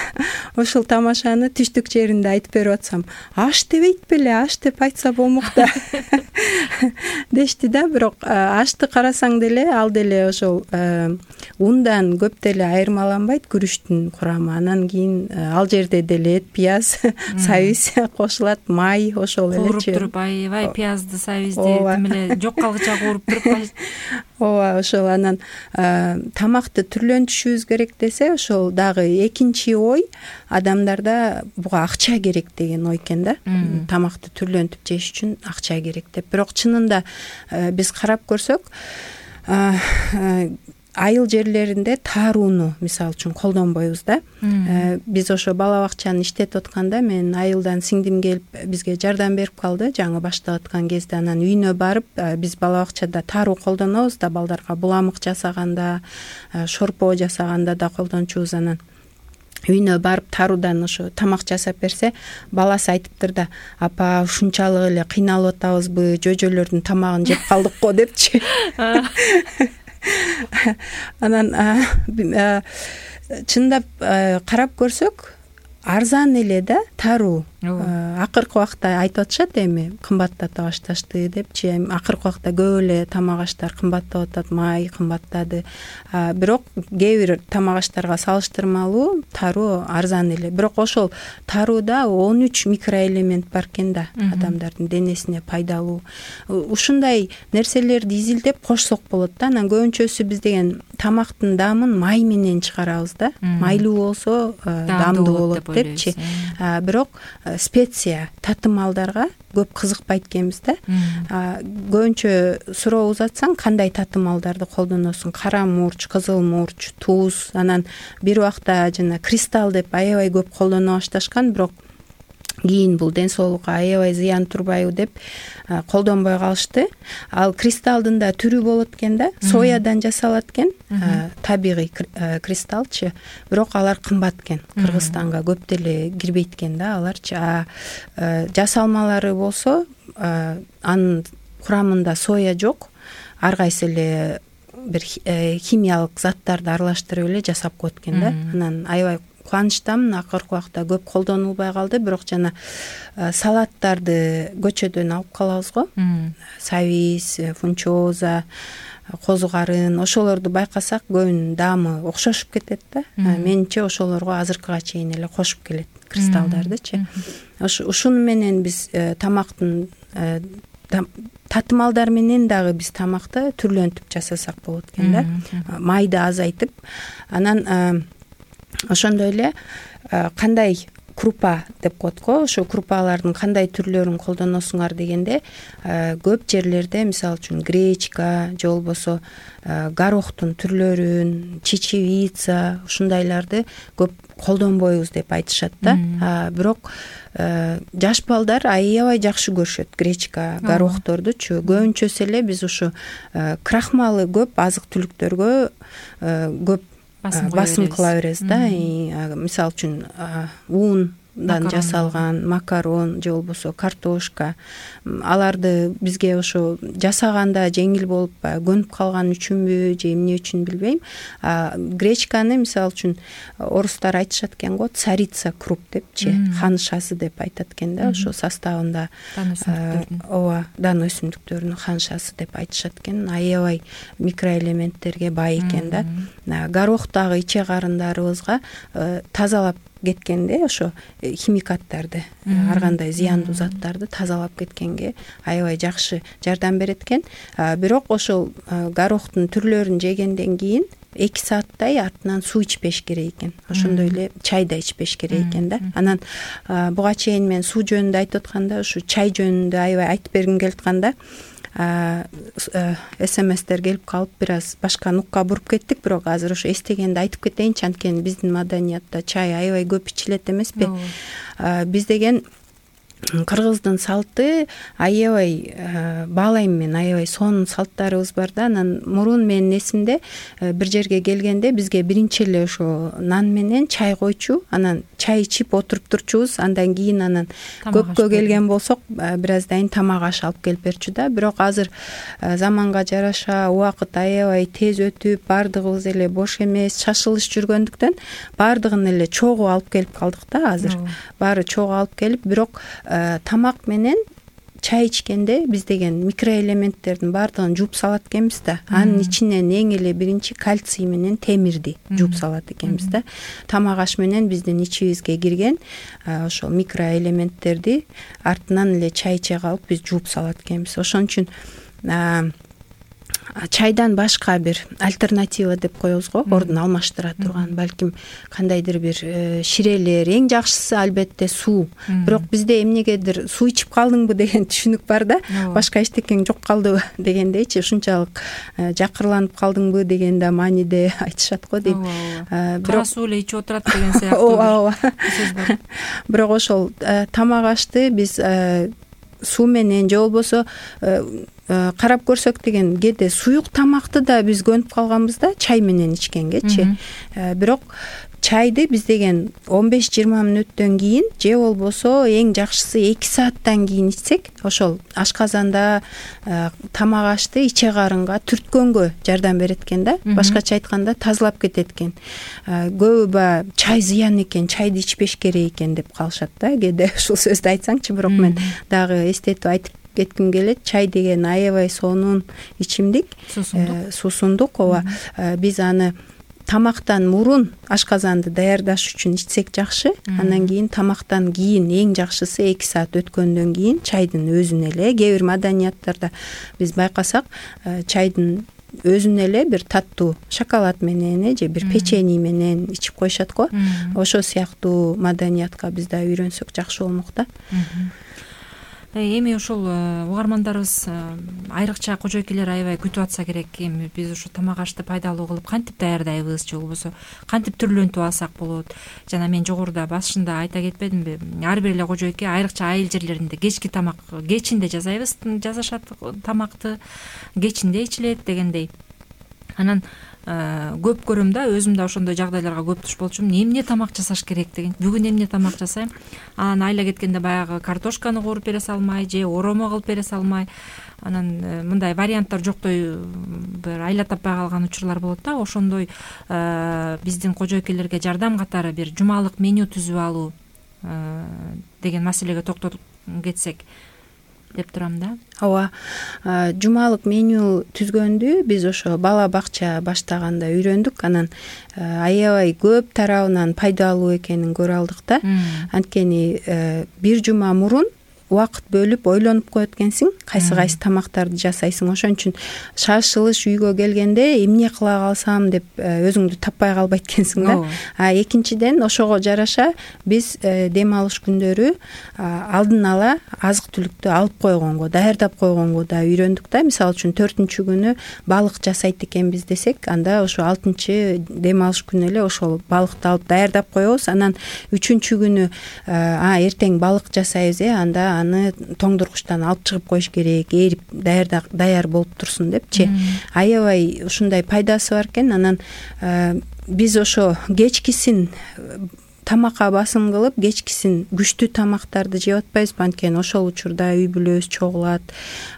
ошол тамашаны түштүк жеринде айтып берип атсам, аш дебейт беле, аш деп айтса болмок да дешти да. Бирок ашты карасаң деле, ал деле ошол ундан көп деле айырмаланбайт күрүчтүн курамы. Анан кийин ал жерде деле эт, пияз, сабиз кошулат, май, ошол элечи. Кууруп туруп, аябай пиязды, сабизди тим эле жок калгыча кууруп туруп. Ооба, ошол. Анан тамакты түрлөнтүшүбүз керек десе, ошол дагы экинчи ой адамдарда буга акча керек деген ой экен да. Тамакты түрлөнтүп жеш үчүн акча керек деп. Бирок чынында биз карап көрсөк, айыл жерлеринде таарууну мисалы үчүн колдонбойбуз да. Биз ошо бала бакчаны иштетип атканда, мен айылдан сиңдим келип бизге жардам берип калды жаңы баштап аткан кезде. Анан үйүнө барып, биз бала бакчада тааруу колдонобуз да, балдарга буламык жасаганда, шорпо жасаганда да колдончубуз. Анан үйүнө барып тааруудан ошо тамак жасап берсе, баласы айтыптыр да, апа ушунчалык эле кыйналып атабызбы, жөжөлөрдүн тамагын жеп калдык го депчи. Анан чындап карап көрсөк, арзан эле да тааруу. Акыркы убакта айтып атышат, эми кымбаттата башташты депчи. Акыркы убакта көп эле тамак аштар кымбаттап атат, май кымбаттады. Бирок кээ бир тамак аштарга салыштырмалуу тааруу арзан эле. Бирок ошол таарууда 13 микроэлемент бар экен да, адамдардын денесине пайдалуу. Ушундай нерселерди изилдеп кошсок болот да. Анан көбүнчөсү биз деген тамактын даамын май менен чыгарабыз да. Майлуу болсо даамдуу болот депчи. Бирок специя, татымалдарга көп кызыкпайт экенбиз да. Көбүнчө суроо узатсаң, кандай татымалдарды колдоносуң? Кара мурч, кызыл мурч, туз. Анан бир убакта жана кристалл деп аябай көп колдоно башташкан, бирок кийин бул ден соолукка аябай зыян турбайбы деп колдонбой калышты. Ал кристалдын да түрү болот экен да, соядан жасалат экен, табигый кристаллчы. Бирок алар кымбат экен. Кыргызстанга көп деле кирбейт экен да аларчы. Жасалмалары болсо, анын курамында соя жок. Ар кайсы эле бир химиялык заттарды аралаштырып эле жасап коет экен да. Анан аябай кубанычтамын, акыркы убакта көп колдонулбай калды. Бирок жана салаттарды көчөдөн алып калабыз го. Сабиз, фунчоза, козу карын, ошолорду байкасак көбүнүн даамы окшошуп кетет да. Менимче ошолорго азыркыга чейин эле кошуп келет кристаллдардычы. Ушуну менен биз тамактын татымалдар менен дагы биз тамакты түрлөнтүп жасасак болот экен да. Майды азайтып, анан ошондой эле кандай крупа деп коет го, ошо крупалардын кандай түрлөрүн колдоносуңар дегенде, көп жерлерде мисалы үчүн гречка же болбосо горохтун түрлөрүн, чечевица, ушундайларды көп колдонбойбуз деп айтышат да. Бирок жаш балдар аябай жакшы көрүшөт гречка, горохтордучу. Көбүнчөсү эле биз ушу крахмалы көп азык түлүктөргө көп басым кыла беребиз да. Мисалы үчүн ун жасалган макарон же болбосо картошка, аларды бизге ошо жасаганда жеңил болуп көнүп калган үчүнбү же эмне үчүн билбейм. Гречканы мисалы үчүн орустар айтышат экен го, царица круп депчи, ханшасы деп айтат экен да, ошо составында ооба, дан өсүмдүктөрүнүн ханшасы деп айтышат экен. Аябай микроэлементтерге бай экен да. Горохтагы иче карындарыбызга тазалап кеткенде ошо химикаттарды, ар кандай зыяндуу заттарды тазалап кеткенге аябай жакшы жардам берет экен. Бирок ошол горохтун түрлөрүн жегенден кийин 2 сааттай артынан суу ичпеш керек экен. Ошондой эле чай да ичпеш керек экен да. Анан буга чейин мен суу жөнүндө айтып атканда ушу чай жөнүндө аябай айтып бергим келип атканда СМСтер келип калып бир аз башка нукка буруп кеттик, бирок азыр ошо эстегенде айтып кетейинчи. Анткени биздин маданиятта чай аябай көп ичилет эмеспи? Биз деген кыргыздын салты аябай баалайм мен, аябай сонун салттарыбыз бар да. Анан мурун менин эсимде бир жерге келгенде бизге биринчи эле ошо нан менен чай койчу, анан чай ичип отуруп турчубуз. Андан кийин анан көпкө келген болсок бир аздан кийин тамак аш алып келип берчү да. Бирок азыр заманга жараша убакыт аябай тез өтүп, баардыгыбыз эле бош эмес, шашылыш жүргөндүктөн баардыгын эле чогуу алып келип калдык да азыр. Баары чогуу алып келип, бирок тамак менен чай ичкенде биз деген микроэлементтердин баардыгын жууп салат экенбиз да. Анын ичинен эң эле биринчи кальций менен темирди жууп салат экенбиз да. Тамак аш менен биздин ичибизге кирген ошол микроэлементтерди артынан эле чай иче калып биз жууп салат экенбиз. Ошон үчүн чайдан башка бир альтернатива деп коебуз го, ордун алмаштыра турган, балким кандайдыр бир ширелер. Эң жакшысы албетте суу. Бирок бизде эмнегедир суу ичип калдыңбы деген түшүнүк бар да. Башка эчтекең жок калдыбы дегендейчи, ушунчалык жакырланып калдыңбы деген да мааниде айтышат го дейм. Кара суу эле ичип отурат деген сыяктуу сөз бар. Бирок ошол тамак ашты биз суу менен же болбосо карап көрсөк деген кээде суюк тамакты да биз көнүп калганбыз да чай менен ичкенгечи. Бирок чайды биз деген 15-20 мүнөттөн кийин же болбосо эң жакшысы 2 сааттан кийин ичсек, ошол ашказанда тамак ашты иче карынга түрткөнгө жардам берет экен да. Башкача айтканда тазалап кетет экен. Көбү чай зыян экен, чайды ичпеш керек экен деп калышат да. Кээде ушул сөздү айтсаңчы, бирок мен дагы эстетип айтып кетким келет. Чай деген аябай сонун ичимдик, суусундук. Ооба, биз аны тамактан мурун ашказанды даярдаш үчүн ичсек жакшы. Андан кийин тамактан кийин эң жакшысы 2 саат өткөндөн кийин чайдын өзүн эле, кээ бир маданияттарда биз байкасак чайдын өзүн эле бир таттуу шоколад менен же бир печенье менен ичип коюшат го. Ошол сыяктуу маданиятка биз да үйрөнсөк жакшы болмок да. Эми ошол угармандарыбыз айрыкча кожойкелер аябай күтүп атса керек. Эми биз ушу тамак ашты пайдалуу кылып кантип даярдайбыз же болбосо кантип түрлөнтүп алсак болот? Жана мен жогоруда башында айта кетпедимби? Ар бир эле кожойке айрыкча айыл жерлеринде кечки тамак кечинде жасайбыз, жасашат тамакты, кечинде ичилет дегендей. Анан көп көрөм да, өзүм да ошондой жагдайларга көп туш болчумун. Эмне тамак жасаш керек деген. Бүгүн эмне тамак жасайм? Анан айла кеткенде баягы картошканы кууруп бере салмай же оромо кылып бере салмай. Анан мындай варианттар жоктой бир айла таппай калган учурлар болот да. Ошондой биздин кожойкелерге жардам катары бир жумалык меню түзүп алуу деген маселеге токтолуп кетсек деп турам да. Ооба, жумалык меню түзгөндү биз ошо бала бакча баштаганда үйрөндүк. Анан аябай көп тарабынан пайдалуу экенин көрө алдык да. Анткени бир жума мурун убакыт бөлүп ойлонуп коет экенсиң, кайсы тамактарды жасайсың. Ошон үчүн шашылыш үйгө келгенде эмне кыла калсам деп өзүңдү таппай калбайт экенсиң да. Экинчиден ошого жараша биз дем алыш күндөрү алдын ала азык түлүктү алып койгонго, даярдап койгонго да үйрөндүк да. Мисалы үчүн 4-күнү балык жасайт экенбиз десек, анда ошо 6 дем алыш күнү эле ошол балыкты алып даярдап коебуз. Анан 3-күнү эртең балык жасайбыз, анда аны тоңдургучтан алып чыгып коюш керек, эрип даяр болуп турсун депчи. Аябай ушундай пайдасы бар экен. Анан биз ошо кечкисин тамакка басым кылып кечкисин күчтүү тамактарды жеп атпайбызбы, анткени ошол учурда үй бүлөбүз чогулат,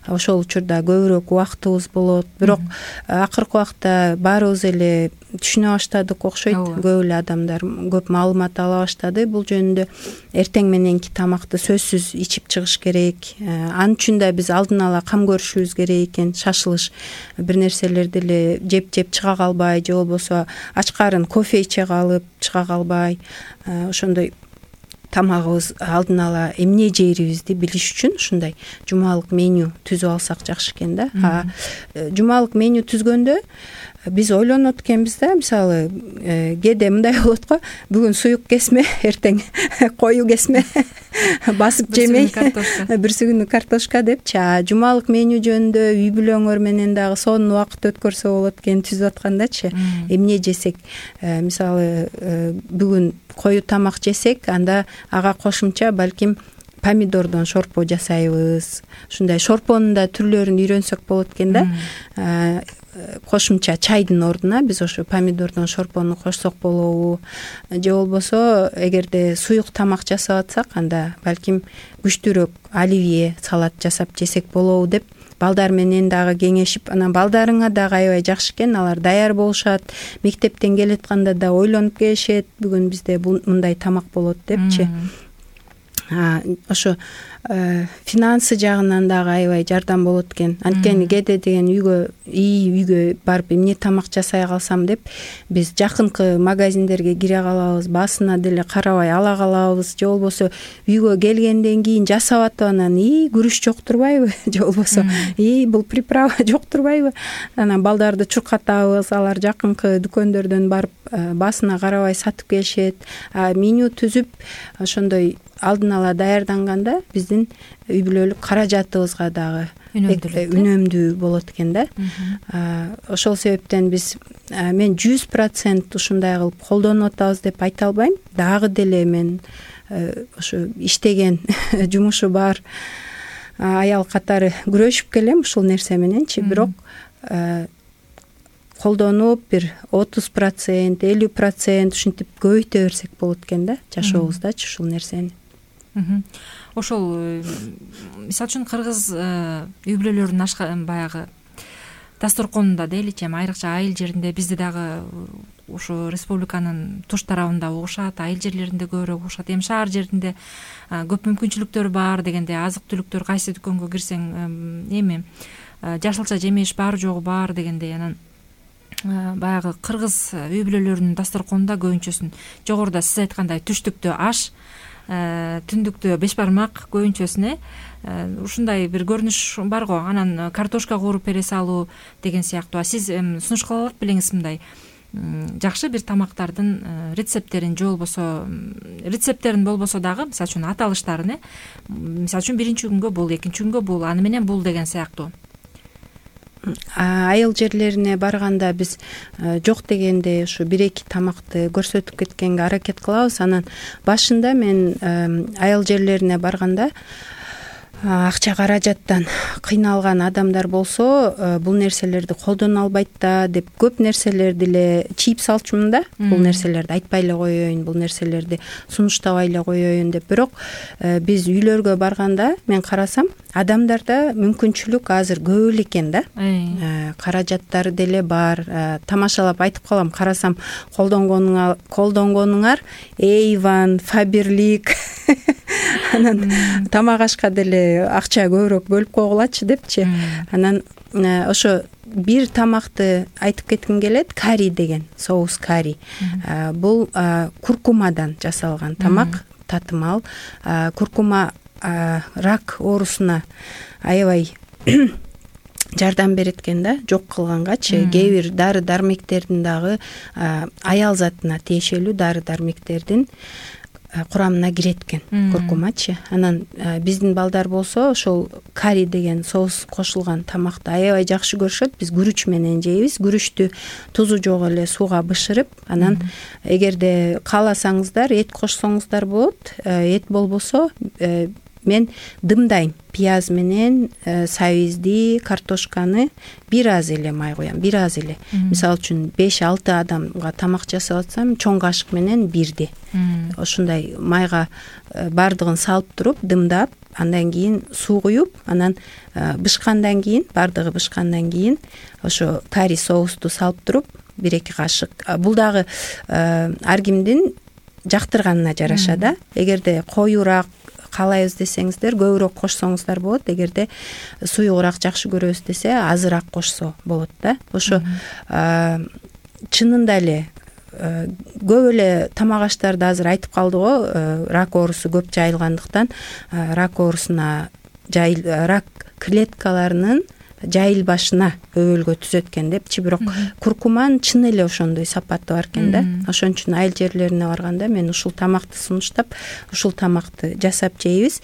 ошол учурда көбүрөөк убактыбыз болот. Бирок акыркы убакта баарыбыз эле түшүнө баштадык окшойт. Көп эле адамдар көп маалымат ала баштады бул жөнүндө. Эртең мененки тамакты сөзсүз ичип чыгыш керек. Ал үчүн да биз алдын ала кам көрүшүбүз керек экен. Шашылыш бир нерселерди эле жеп чыга калбай, же болбосо ачкарын кофе иче калып чыга калбай, ошондой тамагыбыз алдын ала эмне жээрибизди билиш үчүн ушундай жумалык меню түзүп алсак жакшы экен да. Жумалык меню түзгөндө биз ойлонот экенбиз да, мисалы кээде мындай болот го, бүгүн суюк кесме, эртең кою кесме, басып жемей бирси күнү картошка депчи. Жумалык меню жөнүндө үй бүлөңөр менен дагы сонун убакыт өткөрсө болот экен түзүп аткандачы. Эмне жесек, мисалы бүгүн кою тамак жесек, анда ага кошумча балким помидордон шорпо жасайбыз. Ушундай шорпонун да түрлөрүн үйрөнсөк болот экен да. Кошумча чайдын ордуна биз ошо помидордон шорпону кошсок болобу, же болбосо эгерде суюк тамак жасап атсак, анда балким күчтүүрөөк оливье салат жасап жесек болобу деп балдар менен дагы кеңешип, анан балдарыңа дагы аябай жакшы экен, алар даяр болушат, мектептен келатканда да ойлонуп келишет, бүгүн бизде мындай тамак болот депчи. Ошо финансы жагынан дагы аябай жардам болот экен. Анткени кээде деген үйгө барып эмне тамак жасай калсам деп биз жакынкы магазиндерге кире калабыз, басына деле карабай ала калабыз, же болбосо үйгө келгенден кийин жасап атып анан күрүч жок турбайбы, же болбосо бул приправа жок турбайбы, анан балдарды чуркатабыз, алар жакынкы дүкөндөрдөн барып басына карабай сатып келишет. Меню түзүп ошондой алдын ала даярданганда биздин үй бүлөлүк каражатыбызга дагы үнөмдүү болот экен да. Ошол себептен биз мен 100% ушундай кылып колдонуп атабыз деп айта албайм. Дагы деле мен ошо иштеген жумушу бар аял катары күрөшүп келем ушул нерсе мененчи. Бирок колдонуп бир 30%, 50% ушинтип көбөйтө берсек болот экен да жашообуздачы ушул нерсени. Ошол мисалы үчүн кыргыз үй бүлөлөрүнүн баягы дасторконунда дейличи, айрыкча айыл жеринде, бизде дагы ошо республиканын туш тарабында угушат, айыл жерлеринде көбүрөөк угушат. Эми шаар жеринде көп мүмкүнчүлүктөр бар дегенде, азык түлүктөр кайсы дүкөнгө кирсең эми жашылча жемеш бар жогу бар дегендей, анан баягы кыргыз үй бүлөлөрүнүн дасторконунда көбүнчөсүн жогоруда сиз айткандай түштүктө аш, түндүктө беш бармак көбүнчөсүнө ушундай бир көрүнүш бар го. Анан картошка кууруп бере салуу деген сыяктуу. Сиз сунуш кыла алат белеңиз мындай жакшы бир тамактардын рецепттерин, же болбосо рецепттерин болбосо дагы мисалы үчүн аталыштарын, мисалы үчүн биринчи күнгө бул, экинчи күнгө бул, аны менен бул деген сыяктуу. Айыл жерлерине барганда биз жок дегенде ушу 1-2 тамакты көрсөтүп кеткенге аракет кылабыз. Анан башында мен айыл жерлерине барганда акча каражаттан кыйналган адамдар болсо бул нерселерди колдоно албайт да деп көп нерселерди эле чийип салчумун да. Бул нерселерди айтпай эле коеюн, бул нерселерди сунуштабай эле коеюн деп. Бирок биз үйлөргө барганда мен карасам адамдарда мүмкүнчүлүк азыр көп эле экен да. Каражаттары деле бар. Тамашалап айтып калам, карасам колдонгонуңар Avon, Faberlic анан тамак ашка деле акча көбүрөөк бөлүп койгулачы депчи. Анан ошо бир тамакты айтып кетким келет, карри деген, соус карри. Бул куркумадан жасалган тамак, татымал. Куркума рак оорусуна аябай жардам берет экен да, жок кылгангачы. Кээ бир дары дармектердин дагы аял затына тиешелүү дары дармектердин курамына кирет экен куркумачы. Анан биздин балдар болсо ошол карри деген соус кошулган тамакты аябай жакшы көрүшөт. Биз күрүч менен жейбиз. Күрүчтү тузу жок эле сууга бышырып, анан эгерде кааласаңыздар эт кошсоңуздар болот. Эт болбосо мен дымдайм пияз менен сабизди, картошканы бир аз эле май коем, бир аз эле. Мисалы үчүн 5-6 адамга тамак жасап атсам чоң кашык менен бирди. Ошондой майга бардыгын салып туруп дымдап, андан кийин суу куюп, анан бышкандан кийин, бардыгы бышкандан кийин ошо карри соусту салып туруп 1-2 кашык. Бул дагы ар кимдин жактырганына жараша да. Эгерде коюураак каалайбыз десеңиздер көбүрөөк кошсоңуздар болот. Эгерде суюгураак жакшы көрөбүз десе азыраак кошсо болот да. Ошо чынында эле көп эле тамак аштарды азыр айтып калды го, рак оорусу көп жайылгандыктан рак оорусуна рак клеткаларынын жайылбашына өбөлгө түзөт экен депчи, бирок куркуманын чын эле ошондой сапаты бар экен да. Ошон үчүн айыл жерлерине барганда мен ушул тамакты сунуштап, ушул тамакты жасап жейбиз.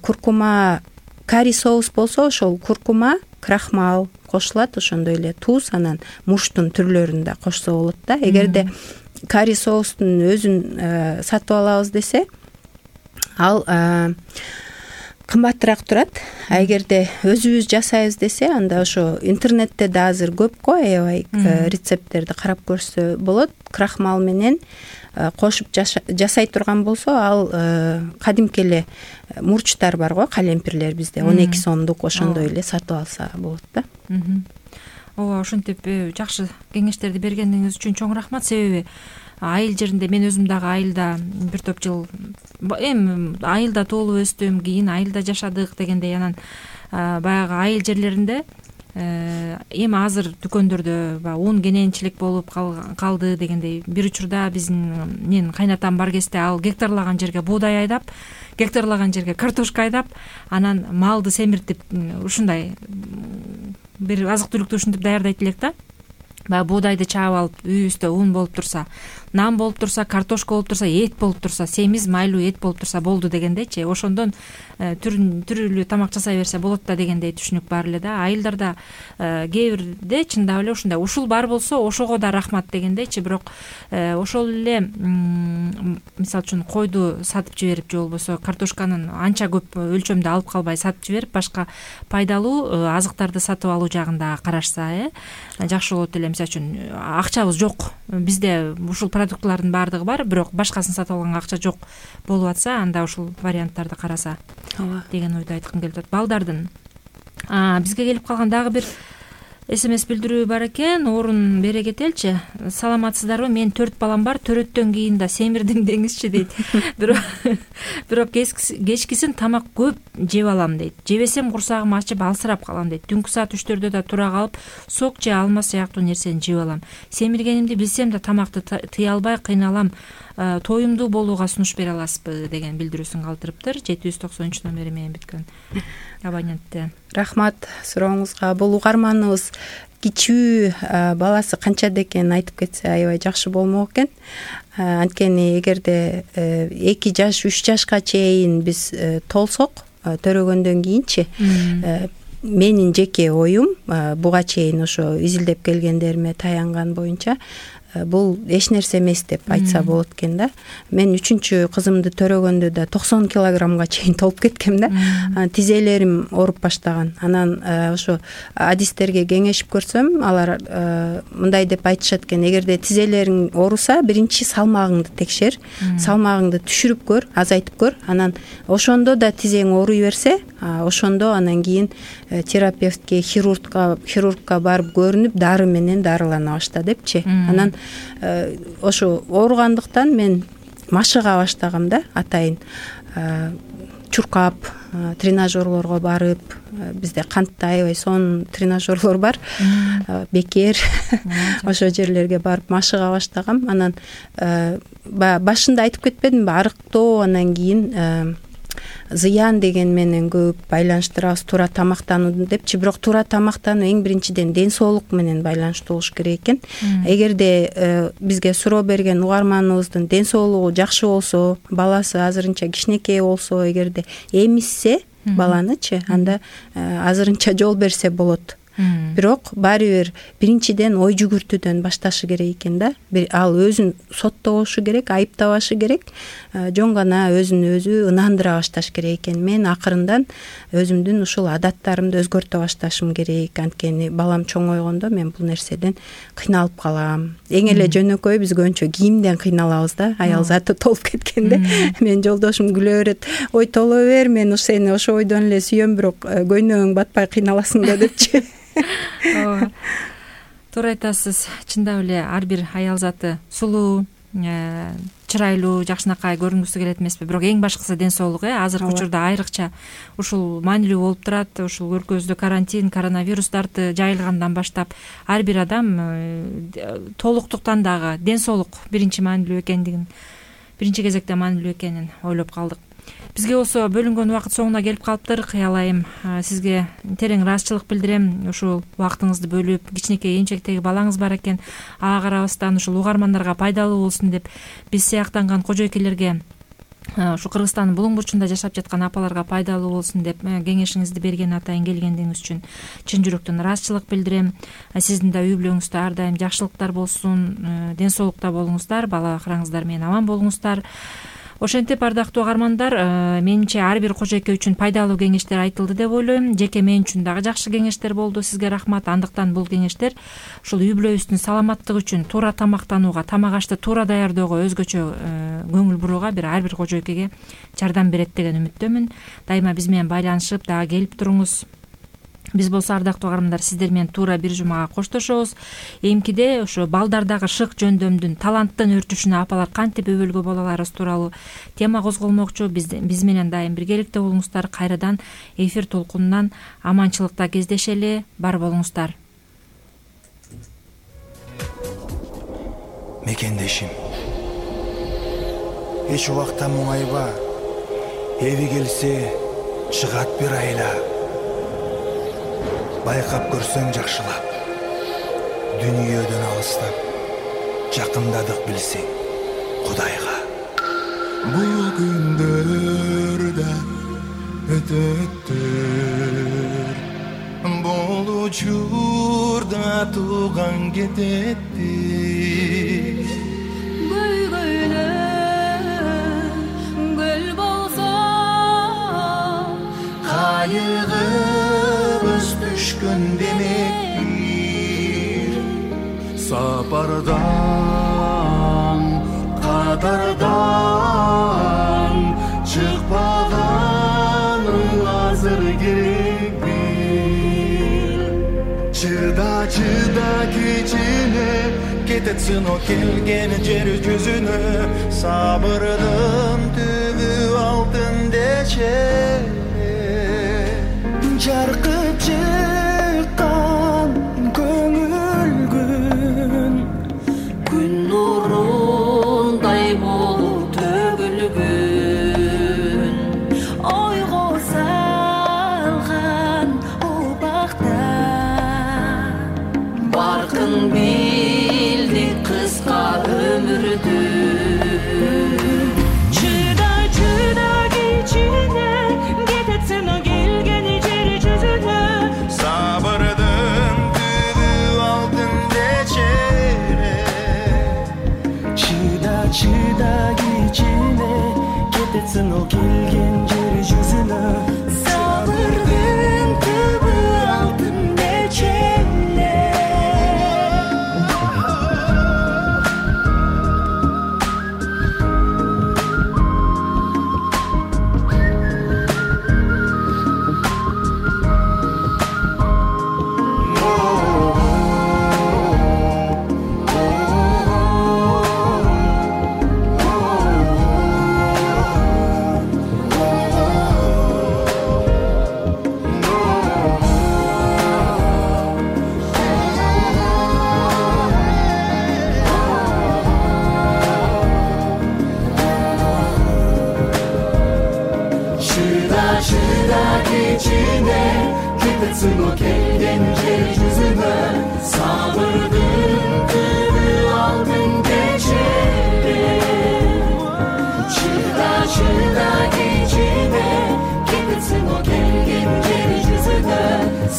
Куркума карри соус болсо ошол куркума, крахмал кошулат, ошондой эле туз, анан мурчтун түрлөрүн да кошсо болот да. Эгерде карри соустун өзүн сатып алабыз десе, ал кымбатыраак турат. Эгерде өзүбүз жасайбыз десе, анда ошо интернетте да азыр көп го, аябай рецепттерди карап көрсө болот. Крахмал менен кошуп жасай турган болсо, ал кадимки эле мурчтар бар го, калемпирлер бизде 12 сомдук, ошондой эле сатып алса болот да. Ооба, ошентип жакшы кеңештерди бергениңиз үчүн чоң рахмат. Себеби айыл жеринде мен өзүм дагы айылда бир топ жыл эми айылда тоолуп өстүм, кийин айылда жашадык дегендей, анан баягы айыл жерлеринде эми азыр дүкөндөрдө баягы ун кененчилик болуп калды дегендей. Бир учурда менин кайнатам бар кезде ал гектарлаган жерге буудай айдап, гектарлаган жерге картошка айдап, анан малды семиртип ушундай бир азык түлүктү ушинтип даярдайт элек да. Баягы буудайды чаап алып, үйүбүздө ун болуп турса, нан болуп турса, картошка болуп турса, эт болуп турса, семиз майлуу эт болуп турса болду дегендейчи. Ошондон түрүлүү тамак жасай берсе болот да дегендей түшүнүк бар эле да. Айылдарда кээ бирде чындап эле ушундай ушул бар болсо ошого да рахмат дегендейчи. Бирок ошол эле мисалы үчүн койду сатып жиберип же болбосо картошканын анча көп өлчөмдө алып калбай сатып жиберип, башка пайдалуу азыктарды сатып алуу жагында карашса жакшы болот эле. Мисалы үчүн акчабыз жок, бизде ушул продуктлардын баардыгы бар, бирок башкасын сатып алганга акча жок болуп атса, анда ушул варианттарды караса деген ойду айткым келип атат. Балдардын бизге келип калган дагы бир СМС билдирүү бар экен. Орун бере кетеличи. Саламатсыздарбы? Мен 4 балам бар. Төрөттөн кийин да семирдим деңизчи дейт. Бирок кечкисин тамак көп жеп алам дейт. Жебесем курсагым ачып алсырап калам дейт. Түнкү саат 3-4дө да тура калып, сок же алма сыяктуу нерсени жеп алам. Семиргенимди билсем да тамакты тыя албай кыйналам. Тоюмдуу болууга сунуш бере аласызбы деген билдирүүсүн калтырыптыр. 793 номери менен бүткөн абонентте. Рахмат сурооңузга. Бул угарманыбыз кичүү баласы канчада экенин айтып кетсе аябай жакшы болмок экен. Анткени эгерде 2 жаш 3 жашка чейин биз толсок, төрөгөндөн кийинчи менин жеке оюм буга чейин ошо изилдеп келгендериме таянган боюнча бул эч нерсе эмес деп айтса болот экен да. Мен 3-чү кызымды төрөгөндө да 90 килограммга чейин толуп кеткем да. Тизелерим ооруп баштаган. Анан ошо адистерге кеңешип көрсөм, алар мындай деп айтышат экен: эгерде тизелериң ооруса, биринчи салмагыңды текшер, салмагыңды түшүрүп көр, азайтып көр. Анан ошондо да тизең ооруй берсе, ошондо анан кийин терапевтке, хирургка барып көрүнүп, дары менен дарылана башта депчи. Анан ошо ооругандыктан мен машыга баштагам да, атайын чуркап, тренажерлорго барып, бизде кантта аябай сонун тренажерлор бар, бекер, ошо жерлерге барып машыга баштагам. Анан башында айтып кетпедимби, арыктоо, анан кийин зыян деген менен көп байланыштырабыз, туура тамактануу депчи. Бирок туура тамактануу эң биринчиден ден соолук менен байланыштуу болуш керек экен. Эгерде бизге суроо берген угарманыбыздын ден соолугу жакшы болсо, баласы азырынча кичинекей болсо, эгерде эмизсе баланычы, анда азырынча жол берсе болот. бирок баары бир биринчиден ой жүгүртүүдөн башташы керек экен да. Ал өзүн соттобошу керек, айыптабашы керек, жөн гана өзүн өзү ынандыра башташ керек экен. Мен акырындан өзүмдүн ушул адаттарымды өзгөртө башташым керек. Анткени балам чоңойгондо мен бул нерседен кыйналып калам. Эң эле жөнөкөй биз көбүнчө кийимден кыйналабыз да. Аял заты толуп кеткенде мен жолдошум күлө берет. Ой толо бер, мен сени ошо ойдон эле сүйөм, бирок көйнөгүң батпай кыйналасың да депчи. Ооба, туура айтасыз. Чындап эле ар бир аял заты сулуу, чырайлуу, жакшынакай көрүнгүсү келет эмеспи, бирок эң башкысы ден соолук. Азыркы учурда айрыкча ушул маанилүү болуп турат. Ушул өлкөбүздө карантин, коронавирус дарты жайылгандан баштап ар бир адам толуктуктан дагы ден соолук биринчи кезекте маанилүү экенин ойлоп калдык. Бизге болсо бөлүнгөн убакыт соңуна келип калыптыр. Кыялайым сизге терең ыраазычылык билдирем. Ушул убактыңызды бөлүп, кичинекей эмчектеги балаңыз бар экен, ага карабастан ушул угармандарга пайдалуу болсун деп биз сыяктанган кожойкелерге, ушу Кыргызстандын булуң бурчунда жашап жаткан апаларга пайдалуу болсун деп кеңешиңизди берген атайын келгендигиңиз үчүн чын жүрөктөн ыраазычылык билдирем. Сиздин да үй бүлөңүздө ар дайым жакшылыктар болсун, ден соолукта болуңуздар, бала чагаңыздар менен аман болуңуздар. Ошентип, ардактуу угармандар, менимче ар бир кожойке үчүн пайдалуу кеңештер айтылды деп ойлойм. Жеке мен үчүн дагы жакшы кеңештер болду. Сизге рахмат. Андыктан бул кеңештер ушул үй бүлөбүздүн саламаттыгы үчүн туура тамактанууга, тамак ашты туура даярдөөгө, өзгөчө көңүл бурууга ар бир кожойкеге жардам берет деген үмүттөмүн. Дайыма биз менен байланышып дагы келип туруңуз. Биз болсо, ардактуу угармандар, сиздер менен туура бир жумага коштошобуз. Эмкиде ошо балдардагы шык жөндөмдүн, таланттын өрчүшүнө апалар кантип өбөлгө боло аларыбыз тууралуу тема козголмокчу. Биз менен дайым биргеликте болуңуздар. Кайрадан эфир толкунунан аманчылыкта кездешели. Бар болуңуздар. Мекендешим, эч убакта муңайба, эви келсе чыгат бир айла. Байкап көрсөң жакшылап, дүнүйөдөн алыстап, жакындадык билсең Кудайга. Бул күндөрдө өтөттүр, бул учурда тууган кететтир. Гүл болсо кайыгыбыз түшкөн демектир. Сапардан, кадардан чыкпаганың азыр керек бир. Чыда кичине кетет сыноо келген жер жүзүнө. Сабырдын түбү алтын дечене. Жаркып чыккан көңүл күн нурундай болуп төгүлгүн. Ойго салган убакта баркын билдик кыска өмүрдү. Чыда кичине кетет сыноо келген жер жүзүнө. Сабырдын түбү алтын дечене. Чыда кичине кетет сыноо келген жер жүзүнө. Сабырдын түбү алтын дечене. Чыда кичине кетет сыноо келген жер жүзүнө. Сабырдын түбү алтын дечене. Чыда кичине кетет сыноо келген жер жүзүнө.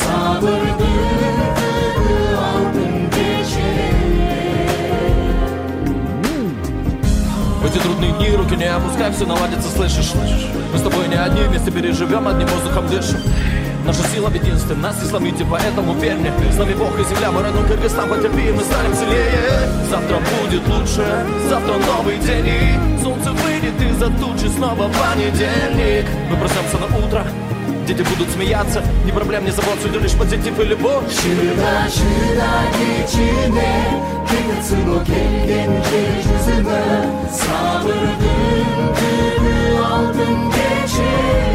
Сабырдын В эти трудные дни руки не опускай, все наладится, слышишь? Мы с тобой не одни, вместе переживем, одним воздухом дышим. Наша сила в единстве, нас не сломите, поэтому верь мне. С нами Бог и земля, мы родной Кыргызстан, потерпи, мы станем сильнее. Завтра будет лучше, завтра новый день, и солнце выйдет из-за тучи, снова понедельник. Мы проснемся на утро, дети будут смеяться, ни проблем, ни забот, судя лишь позитив и любовь. Шыда кечине, кыйгытсыно келген жер жүзүнө, сабырдын күбү алтын кече.